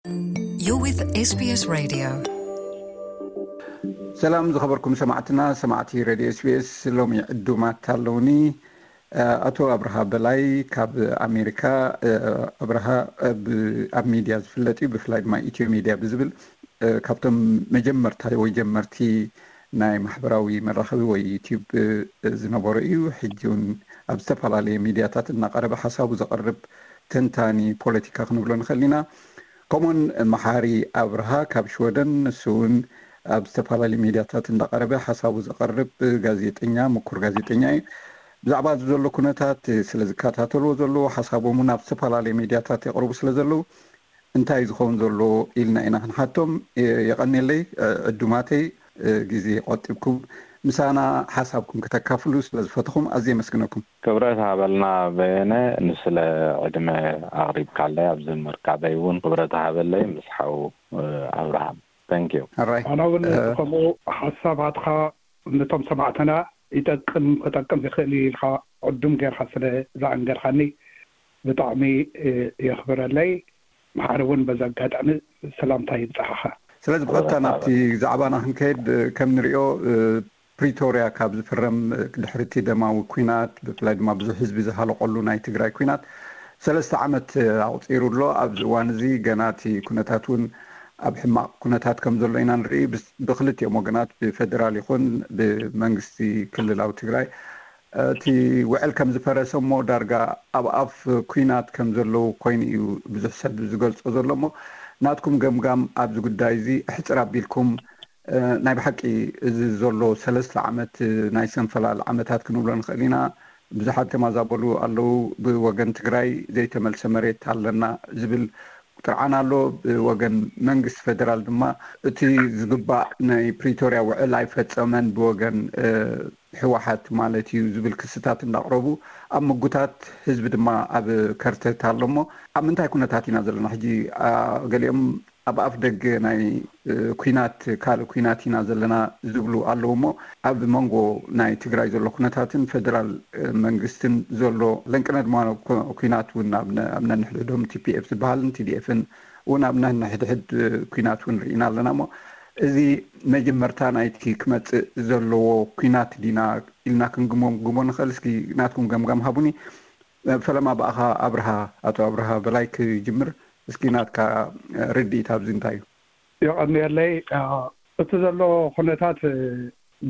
You're with S B S Radio. ሰላም ዝኸበርኩም ሰማዕትና፣ ሰማዕቲ ሬድዮ ኤስቢኤስ። ሎሚ ዕዱማት ኣለውኒ። ኣቶ ኣብርሃ በላይ ካብ ኣሜሪካ። ኣብርሃ ኣብ ሚድያ ዝፍለጥ እዩ፣ ብፍላይ ድማ ኢትዮ ሚድያ ብዝብል ካብቶም መጀመርታ ወይ ጀመርቲ ናይ ማሕበራዊ መራኸቢ ወይ ዩቲዩብ ዝነበሩ እዩ። ሕጂ እውን ኣብ ዝተፈላለየ ሚድያታት እናቐረበ ሓሳቡ ዘቕርብ ተንታኒ ፖለቲካ ክንብሎ ንኽእል ኢና። ከምኡን መሓሪ ኣብርሃ ካብ ሽወደን፣ ንሱ እውን ኣብ ዝተፈላለዩ ሚድያታት እንዳቐረበ ሓሳቡ ዘቕርብ ጋዜጠኛ፣ ምኩር ጋዜጠኛ እዩ። ብዛዕባ እዚ ዘሎ ኩነታት ስለ ዝከታተልዎ ዘለዉ፣ ሓሳቦም እውን ኣብ ዝተፈላለዩ ሚድያታት የቕርቡ ስለ ዘለዉ፣ እንታይ ዝኸውን ዘሎ ኢልና ኢና ክንሓቶም። የቐኔለይ ዕዱማተይ፣ ግዜ ቆጢብኩም ምሳና ሓሳብኩም ክተካፍሉ ስለ ዝፈትኹም ኣዝየ የመስግነኩም። ክብረት ሃበልና በየነ፣ ንስለ ዕድመ ኣቕሪብካለይ ኣብዚ ምርካበይ እውን ክብረት ሃበለይ፣ ምስ ሓው ኣብርሃም። Thank you። ኣራይ ኣነ እውን ከምኡ ሓሳባትካ ነቶም ሰማዕትና ይጠቅም ክጠቅም ዝኽእል እዩ ኢልካ ዕዱም ጌርካ ስለ ዝኣንገርካኒ ብጣዕሚ የኽብረለይ። መሓሪ እውን በዚ ኣጋጣሚ ሰላምታ ይብፅሓኻ። ስለዚ ብቐጥታ ናብቲ ዛዕባና ክንከይድ፣ ከም ንሪኦ ፕሪቶርያ ካብ ዝፍረም ድሕሪ እቲ ደማዊ ኲናት፣ ብፍላይ ድማ ብዙሕ ህዝቢ ዝሃለቐሉ ናይ ትግራይ ኲናት ሰለስተ ዓመት ኣቑፂሩ ኣሎ። ኣብዚ እዋን እዚ ገና እቲ ኩነታት እውን ኣብ ሕማቕ ኩነታት ከም ዘሎ ኢና ንርኢ። ብክልቲኦም ወገናት፣ ብፌደራል ይኹን ብመንግስቲ ክልላዊ ትግራይ፣ እቲ ውዕል ከም ዝፈረሰ እሞ ዳርጋ ኣብ ኣፍ ኲናት ከም ዘለዉ ኮይኑ እዩ ብዙሕ ሰብ ዝገልጾ ዘሎ። እሞ ናትኩም ገምጋም ኣብዚ ጉዳይ እዚ ኣሕጽር ኣቢልኩም፣ ናይ ብሓቂ እዚ ዘሎ ሰለስተ ዓመት ናይ ሰንፈላል ዓመታት ክንብሎ ንኽእል ኢና። ብዙሓት ተማዛበሉ ኣለዉ። ብወገን ትግራይ ዘይተመልሰ መሬት ኣለና ዝብል ጥርዓን ኣሎ። ብወገን መንግስቲ ፌደራል ድማ እቲ ዝግባእ ናይ ፕሪቶርያ ውዕል ኣይፈጸመን ብወገን ህወሓት ማለት እዩ ዝብል ክስታት እንዳቕረቡ ኣብ ምጉታት፣ ህዝቢ ድማ ኣብ ከርተት ኣሎ። እሞ ኣብ ምንታይ ኩነታት ኢና ዘለና ሕጂ? ገሊኦም ኣብ ኣፍ ደገ ናይ ኲናት፣ ካልእ ኲናት ኢና ዘለና ዝብሉ ኣለዉ። እሞ ኣብ መንጎ ናይ ትግራይ ዘሎ ኩነታትን ፌደራል መንግስትን ዘሎ ለንቅነ ድማ ኲናት እውን ኣብ ነንሕድሕዶም ቲፒኤፍ ዝበሃልን ቲዲኤፍን እውን ኣብ ነንሕድሕድ ኲናት እውን ርኢና ኣለና። እሞ እዚ መጀመርታ ናይቲ ክመፅእ ዘለዎ ኲናት ዲና ኢልና ክንግመግሞ ንኽእል? እስኪ ናትኩም ገምጋም ሃቡኒ። ፈለማ ብኣኻ ኣብርሃ፣ ኣቶ ኣብርሃ በላይ ክጅምር። እስኪ ናትካ ርድኢት ኣብዚ እንታይ እዩ? የቐንየለይ። እቲ ዘሎ ኩነታት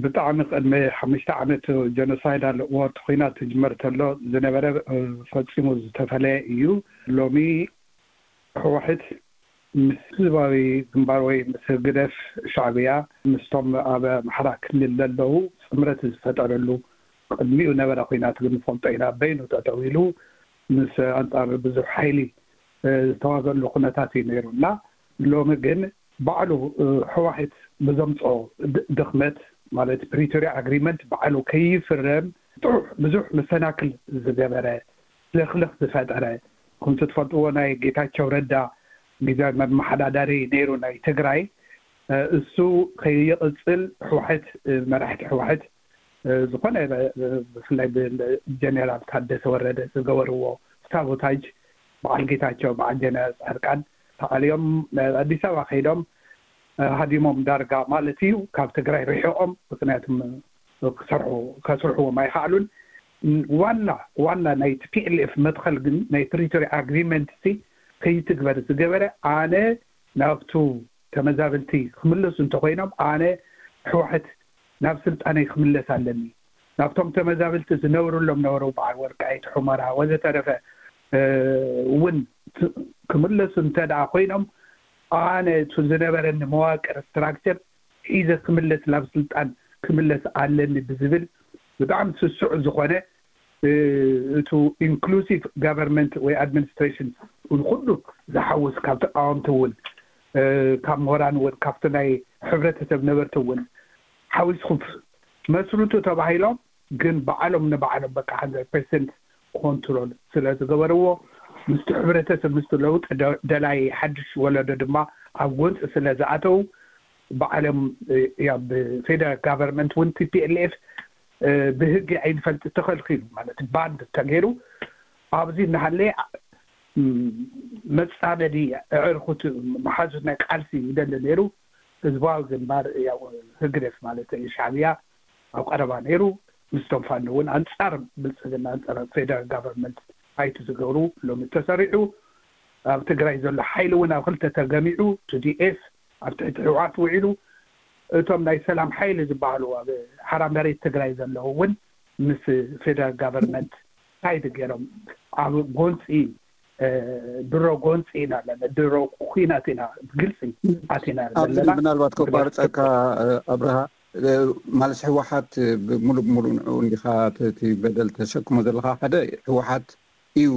ብጣዕሚ ቅድሚ ሓሙሽተ ዓመት ጀኖሳይድ ኣለዎ። እቲ ኲናት ትጅመር ተሎ ዝነበረ ፈፂሙ ዝተፈለየ እዩ። ሎሚ ህወሓት ምስ ህዝባዊ ግንባር ወይ ምስ ህግደፍ ሻዕብያ ምስቶም ኣብ ኣምሓራ ክልል ዘለዉ ጥምረት ዝፈጠረሉ ቅድሚኡ ነበረ ኲናት ግን ንፈልጦ ኢና። በይኑ ጠጠው ኢሉ ምስ ኣንጻር ብዙሕ ሓይሊ ዝተዋገሉ ኩነታት እዩ ነይሩ እና ሎሚ ግን ባዕሉ ህወሓት ብዘምፅኦ ድኽመት ማለት ፕሪቶሪያ ኣግሪመንት ባዕሉ ከይፍረም ጥዑሕ ብዙሕ መሰናክል ዝገበረ ለኽለኽ ዝፈጠረ፣ ከምቲ ትፈልጥዎ ናይ ጌታቸው ረዳ ግዜ መመሓዳደሪ ነይሩ ናይ ትግራይ፣ እሱ ከይቕፅል ህወሓት፣ መራሕቲ ህወሓት ዝኾነ ብፍላይ ብጀኔራል ታደሰ ወረደ ዝገበርዎ ሳቦታጅ በዓል ጌታቸው በዓል ጀነራል ፃድቃን ተኣልዮም ኣዲስ ኣበባ ከይዶም ሃዲሞም ዳርጋ ማለት እዩ ካብ ትግራይ ርሒቖም ምክንያቱም ክሰርሑ ከስርሕዎም ኣይኸኣሉን። ዋና ዋና ናይ ቲፒኤልኤፍ መትኸል ግን ናይ ፕሪቶሪያ ኣግሪመንት ሲ ከይትግበር ዝገበረ ኣነ ናብቱ ተመዛብልቲ ክምለሱ እንተኮይኖም ኣነ ሕወሓት ናብ ስልጣነይ ክምለስ ኣለኒ። ናብቶም ተመዛብልቲ ዝነብርሎም ነበሩ በዓል ወልቃይት ሑመራ ወዘተረፈ እውን ክምለሱ እንተ ደኣ ኮይኖም ኣነ እቲ ዝነበረኒ መዋቅር ስትራክቸር ሒዘ ክምለስ ናብ ስልጣን ክምለስ ኣለኒ ብዝብል ብጣዕሚ ስሱዕ ዝኾነ እቱ ኢንክሉሲቭ ጋቨርንመንት ወይ ኣድሚኒስትሬሽን ንኩሉ ዝሓውስ ካብ ተቃወምቲ እውን ካብ ምሁራን እውን ካብቲ ናይ ሕብረተሰብ ነበርቲ እውን ሓዊስኩም መስርቱ ተባሂሎም ግን ባዕሎም ንባዕሎም በቃ ሃንድረድ ፐርሰንት ኮንትሮል ስለ ዝገበርዎ ምስቲ ሕብረተሰብ ምስቲ ለውጢ ደላይ ሓድሽ ወለዶ ድማ ኣብ ጎንፂ ስለ ዝኣተው ባዕሎም ያ ብፌደራል ጋቨርንመንት እውን ቲፒኤልኤፍ ብህጊ ኣይንፈልጥ ተኸልኪሉ ማለት ባንድ ተገይሩ ኣብዚ እናሃለየ መጻመዲ ኣዕርኹት መሓዙት ናይ ቃልሲ ይደሊ ነይሩ። ህዝባዊ ግንባር፣ ያው ህግደፍ ማለት እዩ፣ ሻዕብያ ኣብ ቀረባ ነይሩ። ምስቶም ፋኖ እውን ኣንጻር ብልጽግና፣ ኣንጻር ፌደራል ጋቨርንመንት ፋይት ዝገብሩ ሎሚ ተሰሪዑ። ኣብ ትግራይ ዘሎ ሓይሊ እውን ኣብ ክልተ ተገሚዑ፣ ቲ ዲ ኤፍ ኣብ ትሕቲ ህወሓት ውዒሉ። እቶም ናይ ሰላም ሓይሊ ዝበሃሉ ኣብ ሓራ መሬት ትግራይ ዘለዉ እውን ምስ ፌደራል ጋቨርንመንት ሳይድ ገይሮም ኣብ ጎንፂ፣ ድሮ ጎንፂ ኢና ኣለና፣ ድሮ ኩናት ኢና፣ ግልፂ ኣቲና ኣለና። ምናልባት ከቋርፀካ ኣብርሃ፣ ማለት ህወሓት ብሙሉ ብሙሉ ንዑ እንዲኻ እቲ በደል ተሸክሞ ዘለኻ። ሓደ፣ ህወሓት እዩ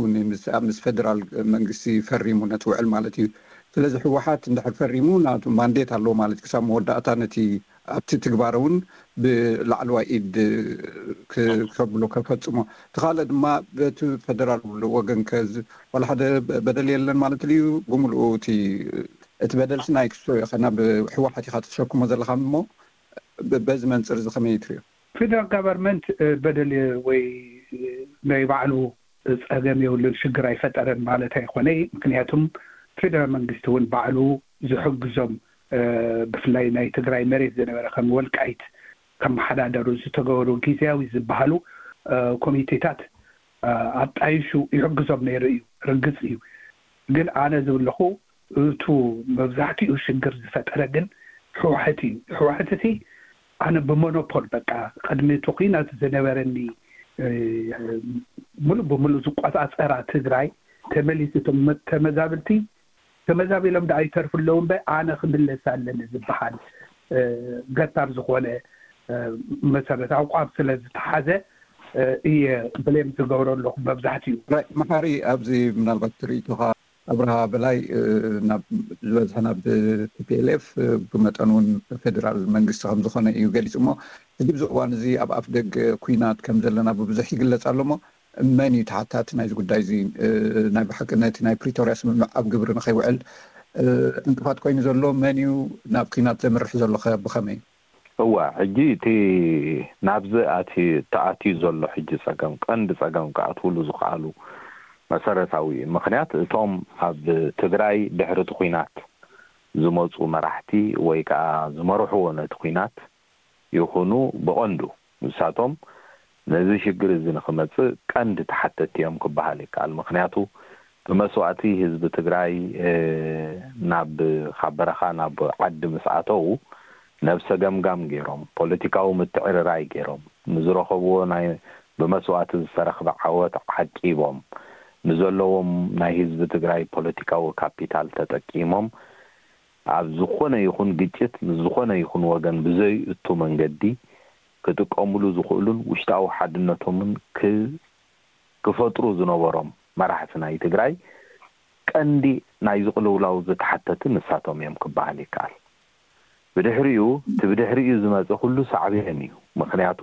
ምስ ፌደራል መንግስቲ ፈሪሙ ነቲ ውዕል ማለት እዩ። ስለዚ ህወሓት እንድሕር ፈሪሙ ናቱ ማንዴት ኣለዎ ማለት ክሳብ መወዳእታ ነቲ ኣብቲ ትግባረ እውን ብላዕለዋይ ኢድ ከብሎ ከፈፅሞ። እቲ ካልእ ድማ በቲ ፌደራል ወገን ዋላ ሓደ በደል የለን ማለት እዩ። ብምልኡ እቲ በደልሲ ናይ ክሶ ኢኻ ናብ ህወሓት ኢኻ ተሸክሞ ዘለኻ እሞ በዚ መንፅር እዚ ከመይ ትሪኦ? ፌደራል ጋቨርንመንት በደል ወይ ናይ ባዕሉ ፀገም የብሉን፣ ሽግር ኣይፈጠረን ማለት ኣይኮነይ። ምክንያቱም ፌደራል መንግስቲ እውን ባዕሉ ዝሕግዞም፣ ብፍላይ ናይ ትግራይ መሬት ዝነበረ ከም ወልቃይት ከመሓዳደሩ ዝተገበሩ ግዝያዊ ዝበሃሉ ኮሚቴታት ኣጣይሹ ይሕግዞም ነይሩ እዩ። ርግፅ እዩ። ግን ኣነ ዝብለኹ እቱ መብዛሕትኡ ሽግር ዝፈጠረ ግን ህወሓት እዩ። ህወሓት እቲ ኣነ ብሞኖፖል በቃ ቅድሚ እቲ ኩናት ዝነበረኒ ሙሉእ ብሙሉእ ዝቆፃፀራ ትግራይ ተመሊሱ ተመዛብልቲ ተመዛቢሎም ዶ ኣይተርፉ ኣለዉ እምበር ኣነ ክምለስ ኣለኒ ዝበሃል ገታር ዝኾነ መሰረት ኣቋም ስለ ዝተሓዘ እየ ብሌም ዝገብሮ ኣለኹ መብዛሕትኡ። መሓሪ፣ ኣብዚ ምናልባት ትርኢቶኻ ኣብርሃ በላይ ናብ ዝበዝሐ ናብ ቲ ፒ ኤል ኤፍ ብመጠን እውን ፌደራል መንግስቲ ከም ዝኾነ እዩ ገሊፁ። እሞ ሕጂ ብዚ እዋን እዚ ኣብ ኣፍ ደገ ኩናት ከም ዘለና ብብዙሕ ይግለፅ ኣሎ። እሞ መን እዩ ተሓታቲ ናይዚ ጉዳይ እዚ? ናይ ብሓቂ ነቲ ናይ ፕሪቶርያ ስምምዕ ኣብ ግብሪ ንኸይውዕል ዕንቅፋት ኮይኑ ዘሎ መን እዩ? ናብ ኩናት ዘምርሕ ዘሎ ከ ብኸመይ? እዋ፣ ሕጂ እቲ ናብዚ ኣቲ ተኣትዩ ዘሎ ሕጂ ጸገም፣ ቀንዲ ጸገም ክኣትውሉ ዝኸኣሉ መሰረታዊ ምኽንያት፣ እቶም ኣብ ትግራይ ድሕሪ እቲ ኲናት ዝመጹ መራሕቲ ወይ ከኣ ዝመርሕዎ ነቲ ኲናት ይኹኑ፣ ብቐንዱ ንሳቶም ነዚ ሽግር እዚ ንኽመጽእ ቀንዲ ተሓተቲ እዮም ክበሃል ይከኣል። ምኽንያቱ ብመስዋእቲ ህዝቢ ትግራይ ናብ ካብ በረኻ ናብ ዓዲ ምስ ኣተዉ ነብሰ ገምጋም ገይሮም፣ ፖለቲካዊ ምትዕርራይ ገይሮም፣ ንዝረኸብዎ ናይ ብመስዋእቲ ዝተረኽበ ዓወት ዓቂቦም፣ ንዘለዎም ናይ ህዝቢ ትግራይ ፖለቲካዊ ካፒታል ተጠቂሞም ኣብ ዝኾነ ይኹን ግጭት ምስ ዝኾነ ይኹን ወገን ብዘይእቱ መንገዲ ክጥቀምሉ ዝኽእሉን ውሽጣዊ ሓድነቶምን ክፈጥሩ ዝነበሮም መራሕቲ ናይ ትግራይ ቀንዲ ናይዚ ቅልውላው ዝተሓተቲ ንሳቶም እዮም ክበሃል ይከኣል። ብድሕሪኡ እቲ ብድሕሪኡ ዝመፀ ኩሉ ሳዕቤን እዩ። ምኽንያቱ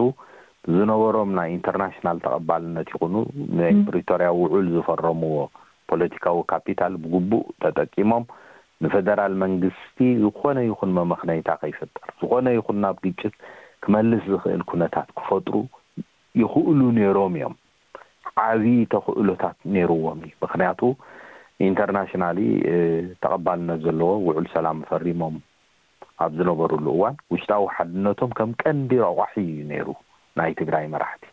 ዝነበሮም ናይ ኢንተርናሽናል ተቐባልነት ይኹኑ ናይ ፕሪቶርያ ውዑል ዝፈረምዎ ፖለቲካዊ ካፒታል ብግቡእ ተጠቂሞም ንፈደራል መንግስቲ ዝኾነ ይኹን መመኽነይታ ከይፍጠር፣ ዝኾነ ይኹን ናብ ግጭት ክመልስ ዝኽእል ኩነታት ክፈጥሩ ይኽእሉ ነይሮም እዮም። ዓብዪ ተኽእሎታት ነይርዎም እዩ። ምኽንያቱ ኢንተርናሽናሊ ተቐባልነት ዘለዎ ውዑል ሰላም ፈሪሞም ኣብ ዝነበሩሉ እዋን ውሽጣዊ ሓድነቶም ከም ቀንዲ ረቋሒ እዩ ነይሩ ናይ ትግራይ መራሕቲ።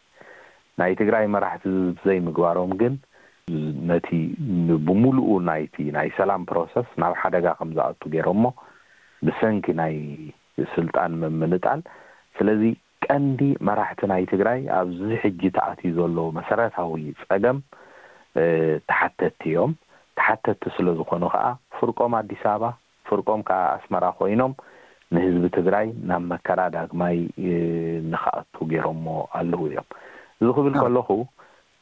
ናይ ትግራይ መራሕቲ ዘይምግባሮም ግን ነቲ ብሙሉኡ ናይቲ ናይ ሰላም ፕሮሰስ ናብ ሓደጋ ከም ዝኣቱ ገይሮሞ ብሰንኪ ናይ ስልጣን ምምንጣል። ስለዚ ቀንዲ መራሕቲ ናይ ትግራይ ኣብዚ ሕጂ ተኣትዩ ዘሎ መሰረታዊ ፀገም ተሓተቲ እዮም። ተሓተቲ ስለ ዝኾኑ ከዓ ፍርቆም ኣዲስ ኣበባ ፍርቆም ከዓ ኣስመራ ኮይኖም ንህዝቢ ትግራይ ናብ መከራ ዳግማይ ንክኣቱ ገይሮሞ ኣለዉ እዮም። እዚ ክብል ከለኹ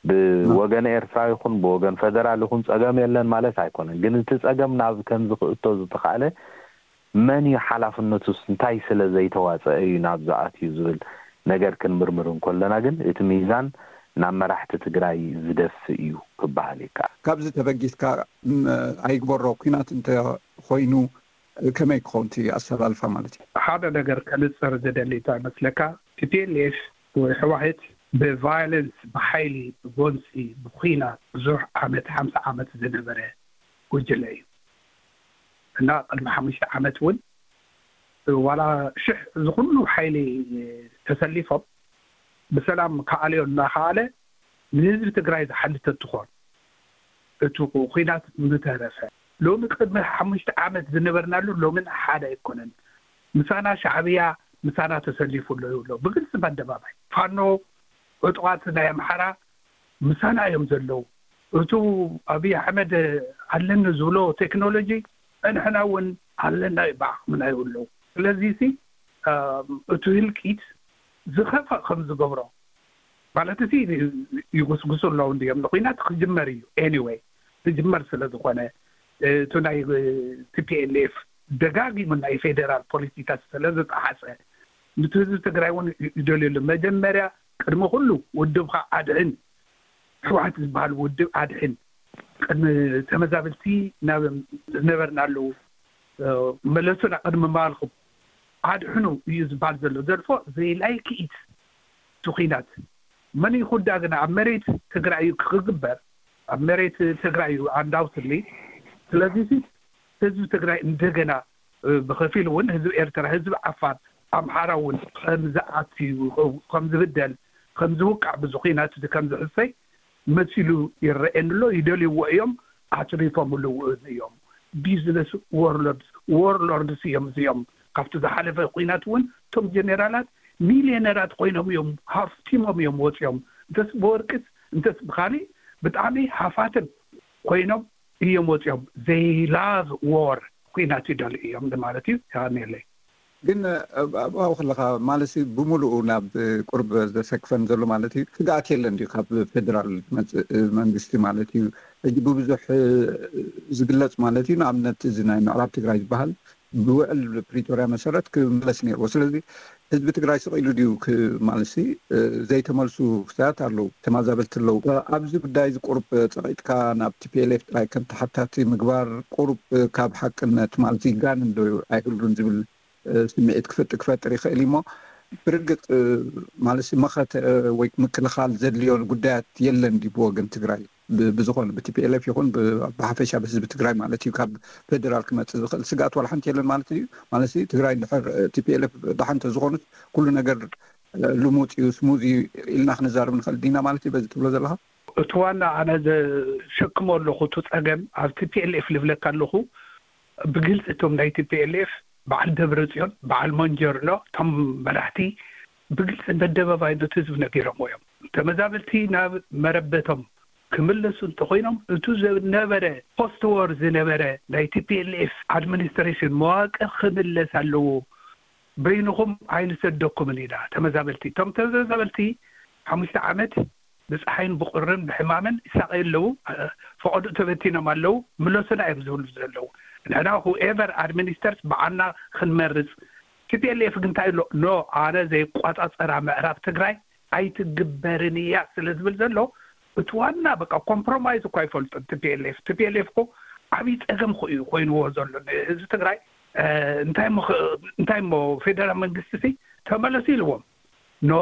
ብወገን ኤርትራ ይኹን ብወገን ፈደራል ይኹን ፀገም የለን ማለት ኣይኮነን። ግን እቲ ፀገም ናብ ከምዚ ክእቶ ዝተኻእለ መን እዩ ሓላፍነቱስ እንታይ ስለ ዘይተዋፀአ እዩ ናብ ዝኣትዩ ዝብል ነገር ክንምርምር እንኮለና ግን እቲ ሚዛን ናብ መራሕቲ ትግራይ ዝደፍእ እዩ ክበሃል ይከኣል። ካብዚ ተበጊስካ ኣይግበሮ ኲናት እንተኾይኑ ከመይ ክኸውን እቲ ኣሰላልፋ ማለት እዩ? ሓደ ነገር ከንፅር ዝደሊ እንታይ መስለካ? ቲ ፒ ኤል ኤፍ ወይ ሕዋሕት ብቫዮለንስ፣ ብሓይሊ፣ ብጎንፂ፣ ብኩናት ብዙሕ ዓመት፣ ሓምሳ ዓመት ዝነበረ ጉጅለ እዩ። እና ቅድሚ ሓሙሽተ ዓመት እውን ዋላ ሽሕ ዝኹሉ ሓይሊ ተሰሊፎም ብሰላም ክኣልዮ እናኸኣለ ንህዝቢ ትግራይ ዝሓልት እንትኾን፣ እቲ ኩናት ምተረፈ፣ ሎሚ ቅድሚ ሓሙሽተ ዓመት ዝነበርናሉ ሎምን ሓደ ኣይኮነን። ምሳና ሻዕብያ ምሳና ተሰሊፉ ኣሎ ይብሎ ብግልፂ በኣደባባይ። ፋኖ ዕጡቓት ናይ ኣምሓራ ምሳና እዮም ዘለዉ። እቱ ኣብይ ኣሕመድ ኣለኒ ዝብሎ ቴክኖሎጂ ንሕና እውን ኣለና እዩ፣ ብዓቕምና እዩ ኣለዉ። ስለዚ ሲ እቱ ህልቂት ዝኸፈእ ከም ዝገብሮ ማለት ሲ ይጉስጉሱ ኣለዉ እንዲዮም። ንኩናት ክጅመር እዩ፣ ኤኒወይ ክጅመር ስለ ዝኾነ፣ እቱ ናይ ቲፒኤልኤፍ ደጋጊሙ ናይ ፌደራል ፖሊሲታት ስለ ዝጠሓሰ፣ ንቲ ህዝቢ ትግራይ እውን ይደልየሉ። መጀመርያ ቅድሚ ኩሉ ውድብካ ኣድሕን፣ ሕወሓት ዝበሃል ውድብ ኣድሕን፣ ቅድሚ ተመዛብልቲ ናብ ዝነበርናሉ መለሱና፣ ቅድሚ ምባልኩም ኣድሕኑ እዩ ዝበሃል ዘሎ። ዘርፎ ዘይላይ ክኢት እቲ ኩናት መን ይኹዳ ግና ኣብ መሬት ትግራይ እዩ ክግበር፣ ኣብ መሬት ትግራይ እዩ ኣንዳውትሊ። ስለዚ ህዝቢ ትግራይ እንደገና ብከፊል እውን ህዝቢ ኤርትራ፣ ህዝቢ ዓፋር፣ ኣምሓራ እውን ከምዝኣትዩ፣ ከምዝብደል፣ ከምዝውቃዕ፣ ብዚ ኩናት እዚ ከምዝሕሰይ መሲሉ ይረኤኒ ኣሎ። ይደልይዎ እዮም፣ ኣትሪፎምሉ እውን እዮም። ቢዝነስ ወርሎርድስ፣ ወርሎርድስ እዮም እዚኦም። ካብቲ ዝሓለፈ ኩናት እውን እቶም ጀኔራላት ሚልዮነራት ኮይኖም እዮም፣ ሃፍቲሞም እዮም ወፂኦም። እንተስ ብወርቅስ እንተስ ብካሊእ ብጣዕሚ ሃፋትም ኮይኖም እዮም ወፂኦም። They love war፣ ኩናት ይደልዩ እዮም ማለት እዩ። የቐንየለይ። ግን ኣብኡ ከለካ ማለት ሲ ብሙሉኡ ናብ ቁርብ ዘሰክፈን ዘሎ ማለት እዩ ስግኣት የለን ድዩ ካብ ፌደራል ዝመፅእ መንግስቲ ማለት እዩ። ሕጂ ብብዙሕ ዝግለፅ ማለት እዩ። ንኣብነት እዚ ናይ ምዕራብ ትግራይ ዝበሃል ብውዕል ፕሪቶርያ መሰረት ክምለስ ነይርዎ። ስለዚ ህዝቢ ትግራይ ስቕ ኢሉ ድዩ ክ-፣ ማለት ሲ ዘይተመልሱ ክሳያት ኣለዉ፣ ተማዛበልቲ ኣለዉ። ኣብዚ ጉዳይ እዚ ቁርብ ፀቒጥካ ናብ ቲፒኤልኤፍ ጥራይ ከም ተሓታቲ ምግባር ቁርብ ካብ ሓቅነት ማለት ይጋንን ዶ ኣይህሉን ዝብል ስምዒት ክፈጥ-፣ ክፈጥር ይኽእል እዩ። እሞ ብርግፅ ማለት ሲ መኸተ ወይ ምክልኻል ዘድልዮ ጉዳያት የለን ድዩ ብወገን ትግራይ? ብ-፣ ብዝኾነ ብቲፒኤልኤፍ ይኹን ብ-፣ ብሓፈሻ ብህዝቢ ትግራይ ማለት እዩ። ካብ ፌደራል ክመፅእ ዝኽእል ስግኣት ዋላ ሓንቲ የለን ማለት እዩ። ማለት እዩ ትግራይ እንድሕር ቲፒኤልኤፍ ደሓን ተዝኾኑት ኩሉ ነገር ልሙፅ እዩ፣ ስሙዝ እዩ ኢልና ክንዛረብ ንኽእል ዲና ማለት እዩ በዚ ትብሎ ዘለኻ? እቲ ዋና ኣነ ዘሸክሞ ኣለኹ እቲ ፀገም ኣብ ቲፒኤልኤፍ ልብለካ ኣለኹ። ብግልፂ እቶም ናይ ቲፒኤልኤፍ በዓል ደብረ ፅዮን፣ በዓል ሞንጀርኖ፣ እቶም መራሕቲ ብግልፂ በደባባይ ነቲ ህዝቢ ነጊሮምዎ እዮም። ተመዛበልቲ ናብ መረበቶም ክምለሱ እንተኾይኖም፣ እቱ ዝነበረ ፖስት ዎር ዝነበረ ናይ ቲፒኤልኤፍ ኣድሚኒስትሬሽን መዋቅር ክምለስ ኣለዎ። በይንኹም ኣይንሰደኩምን ኢና ተመዛበልቲ። እቶም ተመዛበልቲ ሓሙሽተ ዓመት ብፀሓይን ብቁርን ብሕማምን ይሳቐዩ ኣለዉ። ፈቐድኡ ተበቲኖም ኣለዉ። ምለሱና እዮም ዝብሉ ዘለዉ። ንሕና ሁኤቨር ኣድሚኒስተርስ በዓልና ክንመርፅ። ቲፒኤልኤፍ ግን እንታይ ኣሎ? ኖ፣ ኣነ ዘይቋፃፀራ ምዕራብ ትግራይ ኣይትግበርን እያ ስለ ዝብል ዘሎ፣ እቲ ዋና በቃ ኮምፕሮማይዝ እኳ ኣይፈልጡን። ቲፒኤልኤፍ፣ ቲፒኤልኤፍ እኮ ዓብዪ ፀገም እኮ እዩ ኮይንዎ ዘሎ ንህዝቢ ትግራይ። እ፣ እንታይ እሞ ኸ-፣ እንታይ እሞ ፌደራል መንግስቲ ሲ ተመለሱ ኢልዎም። ኖ፣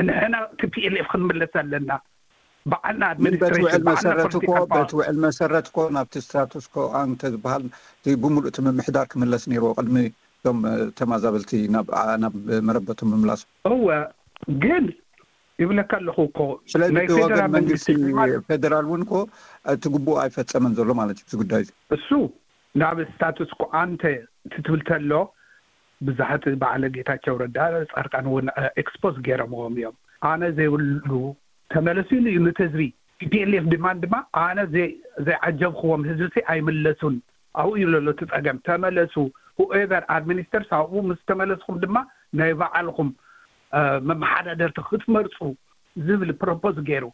ንሕና ቲፒኤልኤፍ ክንምለስ ኣለና። በዓልና ግን በቲ ኣድሚኒስትሬሽን፣ ውዕል በዓልና መሰረት እኮ፣ ፖለቲካል ፓወር። በቲ ውዕል መሰረት እኮ ናብቲ ስታቱስ ኮ ኣንተ ዝበሃል እቲ ብምሉእ እቲ ምምሕዳር ክምለስ ነይርዎ ቅድሚ እቶም፣ እ፣ ተማዛበልቲ ናብ፣ ኣ፣ ናብ መረበቶም ምምላሶም። እወ፣ ግን ይብለካ ኣለኹ እኮ ስለዚ ናይ እቲ ወገን ፌደራል መንግስቲ መንግስቲ ፌዴራል እውን እኮ እቲ ግቡእ ኣይፈጸመን ዘሎ ማለት እዩ። እዚ ጉዳይ እዚ እሱ ናብ ስታቱስ ኮ ኣንተ ትትብል ተሎ ብዙሓት በዓለ ጌታቸው ረዳ ጻድቃን እውን፣ እ፣ ኤክስፖዝ ገይሮምዎም እዮም። ኣነ ዘይብሉ ተመለሱ ኢሉ እዩ ነቲ ህዝቢ። ቲፒኤልኤፍ ድማ፣ ድማ ኣነ ዘይ-፣ ዘይዓጀብክዎም ህዝቢ ሲ ኣይምለሱን። ኣብኡ እዩ ዘሎ እቲ ጸገም። ተመለሱ፣ ሁኤቨር ኣድሚኒስተርስ ኣብኡ ምስ ተመለስኩም ድማ ናይ በዓልኩም፣ እ፣ መመሓዳደርቲ ክትመርጹ ዝብል ፕሮፖዝ ገይሩ።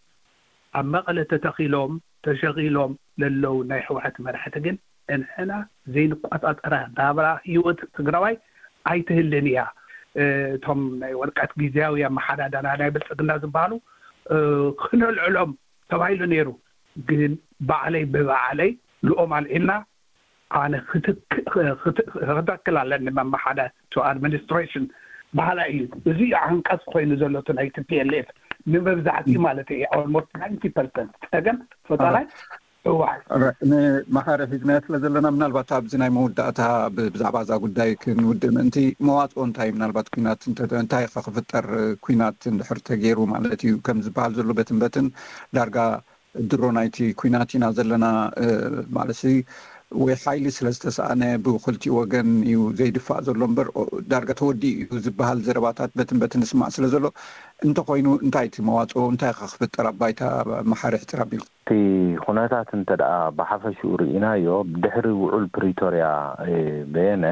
ኣብ መቐለ ተተኺሎም ተሸኺሎም ለለዉ ናይ ህወሓት መራሕቲ ግን እንሕና ዘይንቋጻጸራ ናብራ ህይወት ትግራዋይ ኣይትህልን እያ። እ፣ እቶም ናይ ወረቀት ግዜያዊ ኣመሓዳደራ ናይ ብልጽግና ዝበሃሉ፣ እ፣ ክነልዕሎም ተባሂሉ ነይሩ። ግን ባዕለይ ብባዕለይ ልኦም ኣልዒልና ኣነ ክትክ-፣ ክት-፣ ክተክል ኣለኒ መመሓዳድሪ ኣድሚኒስትሬሽን በሃላይ እዩ። እዚ እዩ ዓንቀጽ ኮይኑ ዘሎ እቲ ናይ ቲ ፒ ኤል ኤፍ። ንመብዛሕትኡ ማለት እዩ፣ almost ninety percent ጸገም ፈጣራይ ህወሓት። ንመሓሪ ሒዝናዮ ስለ ዘለና፣ ምናልባት ኣብዚ ናይ መወዳእታ ብ- ብዛዕባ እዛ ጉዳይ ክንውድእ ምእንቲ፣ መዋፅኦ እንታይ፣ ምናልባት ኩናት እንተ- እንታይ ከ ክፍጠር፣ ኩናት እንድሕር ተገይሩ ማለት እዩ፣ ከም ዝበሃል ዘሎ በትን በትን ዳርጋ ድሮ ናይቲ ኩናት ኢና ዘለና ማለት ወይ ሓይሊ ስለ ዝተሰኣነ ብክልቲኡ ወገን እዩ ዘይድፋእ ዘሎ እምበር፣ ዳርጋ ተወዲኡ እዩ ዝበሃል ዘረባታት በትን በትን ንስማዕ ስለ ዘሎ፣ እንተኮይኑ እንታይ እቲ መዋፅኦ እንታይ ከ ክፍጠር ኣብ ባይታ? መሓሪ ሕፅር ኣቢልካ። እቲ ኩነታት እንተ ደኣ ብሓፈሽኡ ርኢናዮ፣ ድሕሪ ውዑል ፕሪቶርያ በየነ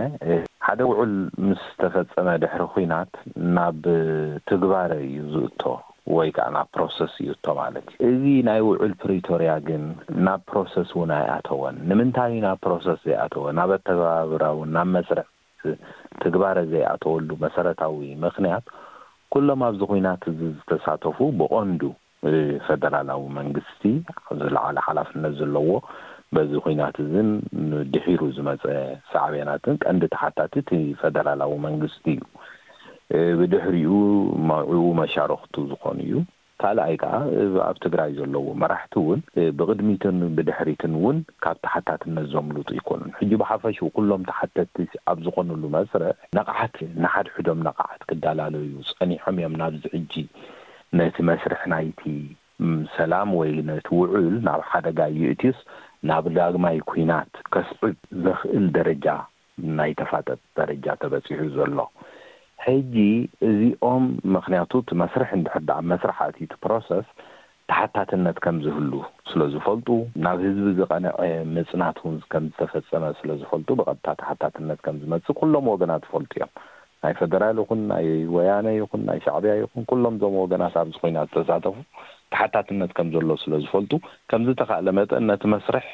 ሓደ ውዑል ምስ ተፈጸመ ድሕሪ ኩናት ናብ ትግባረ እዩ ዝእቶ ወይ ከዓ ናብ ፕሮሰስ ይእቶ ማለት እዩ። እዚ ናይ ውዑል ፕሪቶርያ ግን ናብ ፕሮሰስ እውን ኣይኣተወን። ንምንታይ ናብ ፕሮሰስ ዘይኣተወ? ናብ ኣተገባብራ እውን ናብ መስርሕ ትግባረ ዘይኣተወሉ መሰረታዊ ምክንያት፣ ኩሎም ኣብዚ ኩናት እዚ ዝተሳተፉ ብቐንዱ ፈደራላዊ መንግስቲ ዝለዓለ ሓላፍነት ዘለዎ በዚ ኩናት እዝን ድሒሩ ዝመፀ ሳዕቤናትን ቀንዲ ተሓታቲ እቲ ፈደራላዊ መንግስቲ እዩ። ብድሕሪኡ መዑ መሻረክቱ ዝኾኑ እዩ። ካልኣይ ከዓ ኣብ ትግራይ ዘለዉ መራሕቲ እውን ብቕድሚትን ብድሕሪትን እውን ካብ ተሓታትነት ዘምልጡ ይኮኑን። ሕጂ ብሓፈሽኡ ኩሎም ተሓተቲ ኣብ ዝኾኑሉ መስርሕ ነቕሓት ንሓድሕዶም ነቕሓት ክዳላለዩ ፀኒሖም እዮም። ናብዚ ሕጂ ነቲ መስርሕ ናይቲ ሰላም ወይ ነቲ ውዑል ናብ ሓደጋ ይእትዩስ ናብ ዳግማይ ኩናት ከስዕብ ዘኽእል ደረጃ ናይ ተፋጠጥ ደረጃ ተበፂሑ ዘሎ። ሕጂ እዚኦም ምክንያቱ እቲ መስርሕ እንድሕር ደኣ መስርሕ ኣትዩ እቲ ፕሮሰስ ተሓታትነት ከም ዝህሉ ስለ ዝፈልጡ ናብ ህዝቢ ዝቐንዐ ምፅናት እውን ከም ዝተፈፀመ ስለ ዝፈልጡ ብቐጥታ ተሓታትነት ከም ዝመፅእ ኩሎም ወገናት ይፈልጡ እዮም። ናይ ፈደራል ይኹን ናይ ወያነ ይኹን ናይ ሻዕብያ ይኹን ኩሎም እዞም ወገናት ኣብዚ ኩናት ዝተሳተፉ ተሓታትነት ከም ዘሎ ስለ ዝፈልጡ ከምዝተኻእለ መጠን ነቲ መስርሕ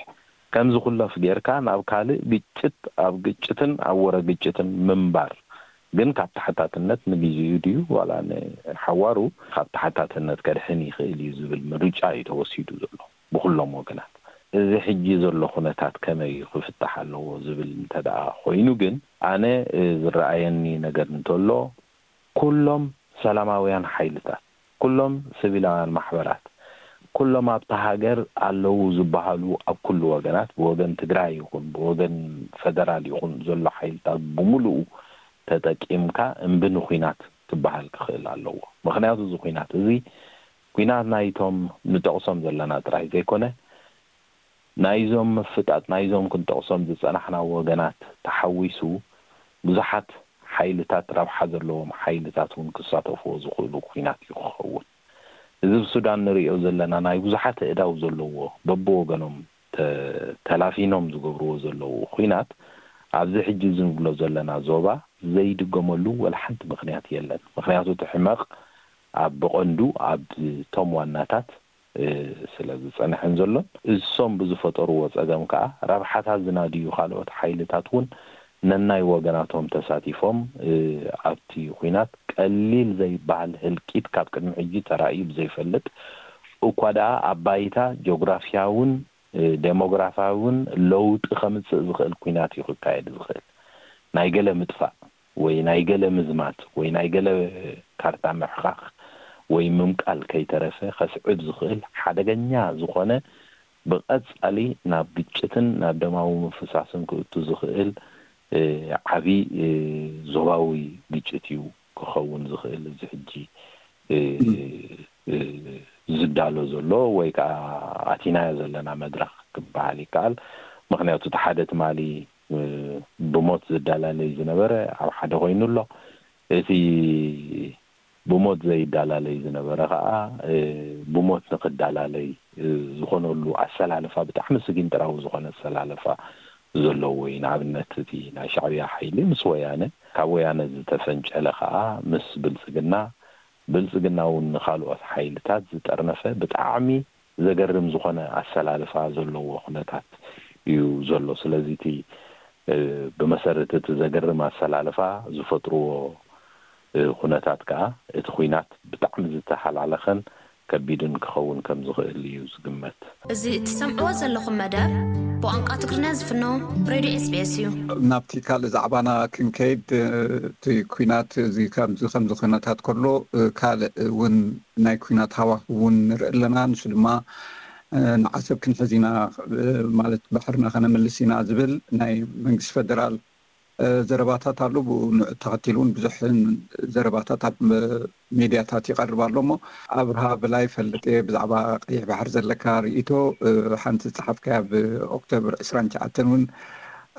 ከም ዝኹለፍ ጌርካ ናብ ካልእ ግጭት ኣብ ግጭትን ኣብ ወረ ግጭትን ምንባር ግን ካብ ተሓታትነት ንግዜኡ ድዩ ዋላ ንሓዋሩ ካብ ተሓታትነት ከድሕን ይኽእል እዩ ዝብል ምርጫ እዩ ተወሲዱ ዘሎ ብኹሎም ወገናት። እዚ ሕጂ ዘሎ ኩነታት ከመይ እዩ ክፍታሕ ኣለዎ ዝብል እንተ ደኣ ኮይኑ ግን ኣነ ዝረኣየኒ ነገር እንተሎ ኩሎም ሰላማውያን ሓይልታት፣ ኩሎም ሲቪላውያን ማሕበራት፣ ኩሎም ኣብታ ሃገር ኣለዉ ዝበሃሉ ኣብ ኩሉ ወገናት ብወገን ትግራይ ይኹን ብወገን ፈደራል ይኹን ዘሎ ሓይልታት ብምሉኡ ተጠቂምካ እምቢ ንኩናት ክበሃል ክኽእል ኣለዎ። ምክንያቱ እዚ ኩናት እዚ ኩናት ናይቶም ንጠቕሶም ዘለና ጥራይ ዘይኮነ ናይዞም ምፍጣጥ ናይዞም ክንጠቕሶም ዝጸናሕና ወገናት ተሓዊሱ ብዙሓት ሓይልታት ረብሓ ዘለዎም ሓይልታት እውን ክሳተፍዎ ዝኽእሉ ኩናት እዩ ክኸውን። እዚ ብሱዳን ንሪኦ ዘለና ናይ ብዙሓት ኣእዳው ዘለዎ በብወገኖም ተላፊኖም ዝገብርዎ ዘለዉ ኩናት ኣብዚ ሕጂ ዝንብሎ ዘለና ዞባ ዘይድገመሉ ወላ ሓንቲ ምኽንያት የለን። ምኽንያቱ እቲ ሕመቕ ኣብ ብቐንዱ ኣብቶም ዋናታት ስለ ዝጸንሐን ዘሎን እሶም ብዝፈጠርዎ ጸገም ከኣ ረብሓታት ዝናድዩ ካልኦት ሓይልታት እውን ነናይ ወገናቶም ተሳቲፎም ኣብቲ ኩናት ቀሊል ዘይበሃል ህልቂት ካብ ቅድሚ ሕጂ ተራእዩ ብዘይፈልጥ እኳ ደኣ ኣብ ባይታ ጂኦግራፍያውን ደሞግራፋውን ለውጢ ከምጽእ ዝኽእል ኩናት እዩ ክካየድ ዝኽእል። ናይ ገለ ምጥፋእ ወይ ናይ ገለ ምዝማት ወይ ናይ ገለ ካርታ ምሕኻኽ ወይ ምምቃል ከይተረፈ ከስዕብ ዝኽእል ሓደገኛ ዝኾነ ብቐጻሊ ናብ ግጭትን ናብ ደማዊ ምፍሳስን ክእቱ ዝኽእል ዓቢ ዞባዊ ግጭት እዩ ክኸውን ዝኽእል። እዚ ሕጂ ዝዳሎ ዘሎ ወይ ከዓ ኣቲናዮ ዘለና መድረኽ ክበሃል ይከኣል። ምክንያቱ እቲ ሓደ ትማሊ ብሞት ዝዳላለይ ዝነበረ ኣብ ሓደ ኮይኑ ኣሎ። እቲ ብሞት ዘይዳላለይ ዝነበረ ከዓ ብሞት ንክዳላለይ ዝኾነሉ ኣሰላልፋ ብጣዕሚ ስጊንጥራዊ ዝኾነ ኣሰላልፋ ዘለዎ እዩ። ንኣብነት እቲ ናይ ሻዕብያ ሓይሊ ምስ ወያነ፣ ካብ ወያነ ዝተፈንጨለ ከዓ ምስ ብልፅግና፣ ብልፅግና እውን ንካልኦት ሓይልታት ዝጠርነፈ ብጣዕሚ ዘገርም ዝኾነ ኣሰላልፋ ዘለዎ ኩነታት እዩ ዘሎ። ስለዚ እቲ ብመሰረት እቲ ዘገርም ኣሰላልፋ ዝፈጥርዎ ኩነታት ከዓ እቲ ኩናት ብጣዕሚ ዝተሓላለኸን ከቢድን ክኸውን ከም ዝኽእል እዩ ዝግመት። እዚ እትሰምዕዎ ዘለኹም መደብ ብቋንቋ ትግርኛ ዝፍኖ ሬድዮ ኤስቢኤስ እዩ። ናብቲ ካልእ ዛዕባና ክንከይድ፣ እቲ ኩናት እዚ ከምዚ ከምዚ ኩነታት ከሎ፣ ካልእ እውን ናይ ኩናት ሃዋህው እውን ንርኢ ኣለና። ንሱ ድማ ንዓሰብ ክንሕዝ ኢና፣ ማለት ባሕርና ከነምልስ ኢና ዝብል ናይ መንግስቲ ፌደራል ዘረባታት ኣሎ። ብኡ ንዕ ተኸቲሉ እውን ብዙሕ ዘረባታት ኣብ ሜድያታት ይቐርብ ኣሎ። እሞ ኣብርሃ በላይ፣ ፈልጥ እየ ብዛዕባ ቀይሕ ባሕሪ ዘለካ ርእይቶ። ሓንቲ ዝጸሓፍካያ ኣብ ኦክቶበር ዕስራን ትሽዓተን እውን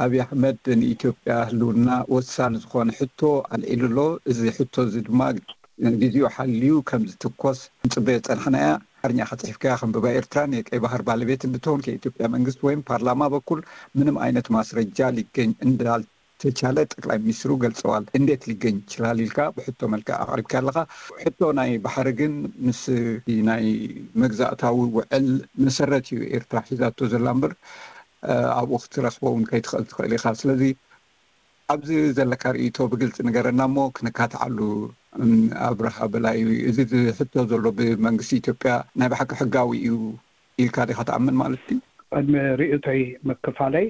ኣብይ ኣሕመድ ንኢትዮጵያ ህልውና ወሳኒ ዝኾነ ሕቶ ኣልዒሉ ኣሎ። እዚ ሕቶ እዚ ድማ ግዜኡ ሓልዩ ከም ዝትኮስ ንጽበዮ ዝጸናሕና እያ። ሓርኛ ከጽሒፍካያ ከንብባ። ኤርትራ የቀይ ባህር ባለቤት እንድትሆን ከኢትዮጵያ መንግስት ወይም ፓርላማ በኩል ምንም አይነት ማስረጃ ሊገኝ እንዳልተቻለ ጠቅላይ ሚኒስትሩ ገልጸዋል። እንዴት ሊገኝ ይችላል ኢልካ ብሕቶ መልክዕ ኣቕሪብካ ኣለኻ። ሕቶ ናይ ባሕሪ ግን ምስ ናይ መግዛእታዊ ውዕል መሰረት እዩ ኤርትራ ሒዛቶ ዘላ እምበር ኣብኡ ክትረኽቦ እውን ከይትኽእል ትኽእል ኢኻ። ስለዚ ኣብዚ ዘለካ ርእይቶ ብግልፂ ንገረና እሞ ክንካትዓሉ። ኣብርሃ በላይ፣ እዚ ዝሕቶ ዘሎ ብመንግስቲ ኢትዮጵያ ናይ ብሓቂ ሕጋዊ እዩ ኢልካ ዲኻ ትኣምን ማለት ድዩ? ቅድሚ ርእይቶይ ምክፋለይ፣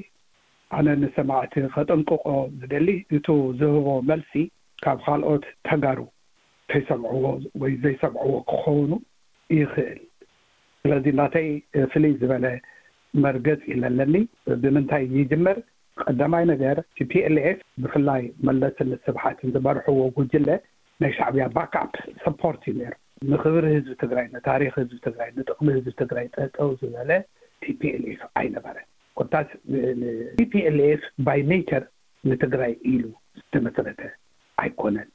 ኣነ ንሰማዕቲ ከጠንቅቆ ዝደሊ፣ እቱ ዝህቦ መልሲ ካብ ካልኦት ተጋሩ ከይሰምዕዎ ወይ ዘይሰምዕዎ ክኸውን ይኽእል። ስለዚ ናተይ ፍልይ ዝበለ መርገፂ ኣለኒ። ብምንታይ ይጅምር? ቀዳማይ ነገር፣ ቲ ፒ ኤል ኤፍ፣ ብፍላይ መለስን ስብሓትን ዝመርሕዎ ጉጅለ ናይ ሻዕብያ ባክኣፕ ሰፖርት እዩ ነይሩ። ንክብሪ ህዝቢ ትግራይ፣ ንታሪክ ህዝቢ ትግራይ፣ ንጥቕሚ ህዝቢ ትግራይ ጠጠው ዝበለ ቲ ፒ ኤል ኤፍ ኣይነበረን። ኮታስ ቲ ፒ ኤል ኤፍ ባይ ኔቸር ንትግራይ ኢሉ ዝተመስረተ ኣይኮነን።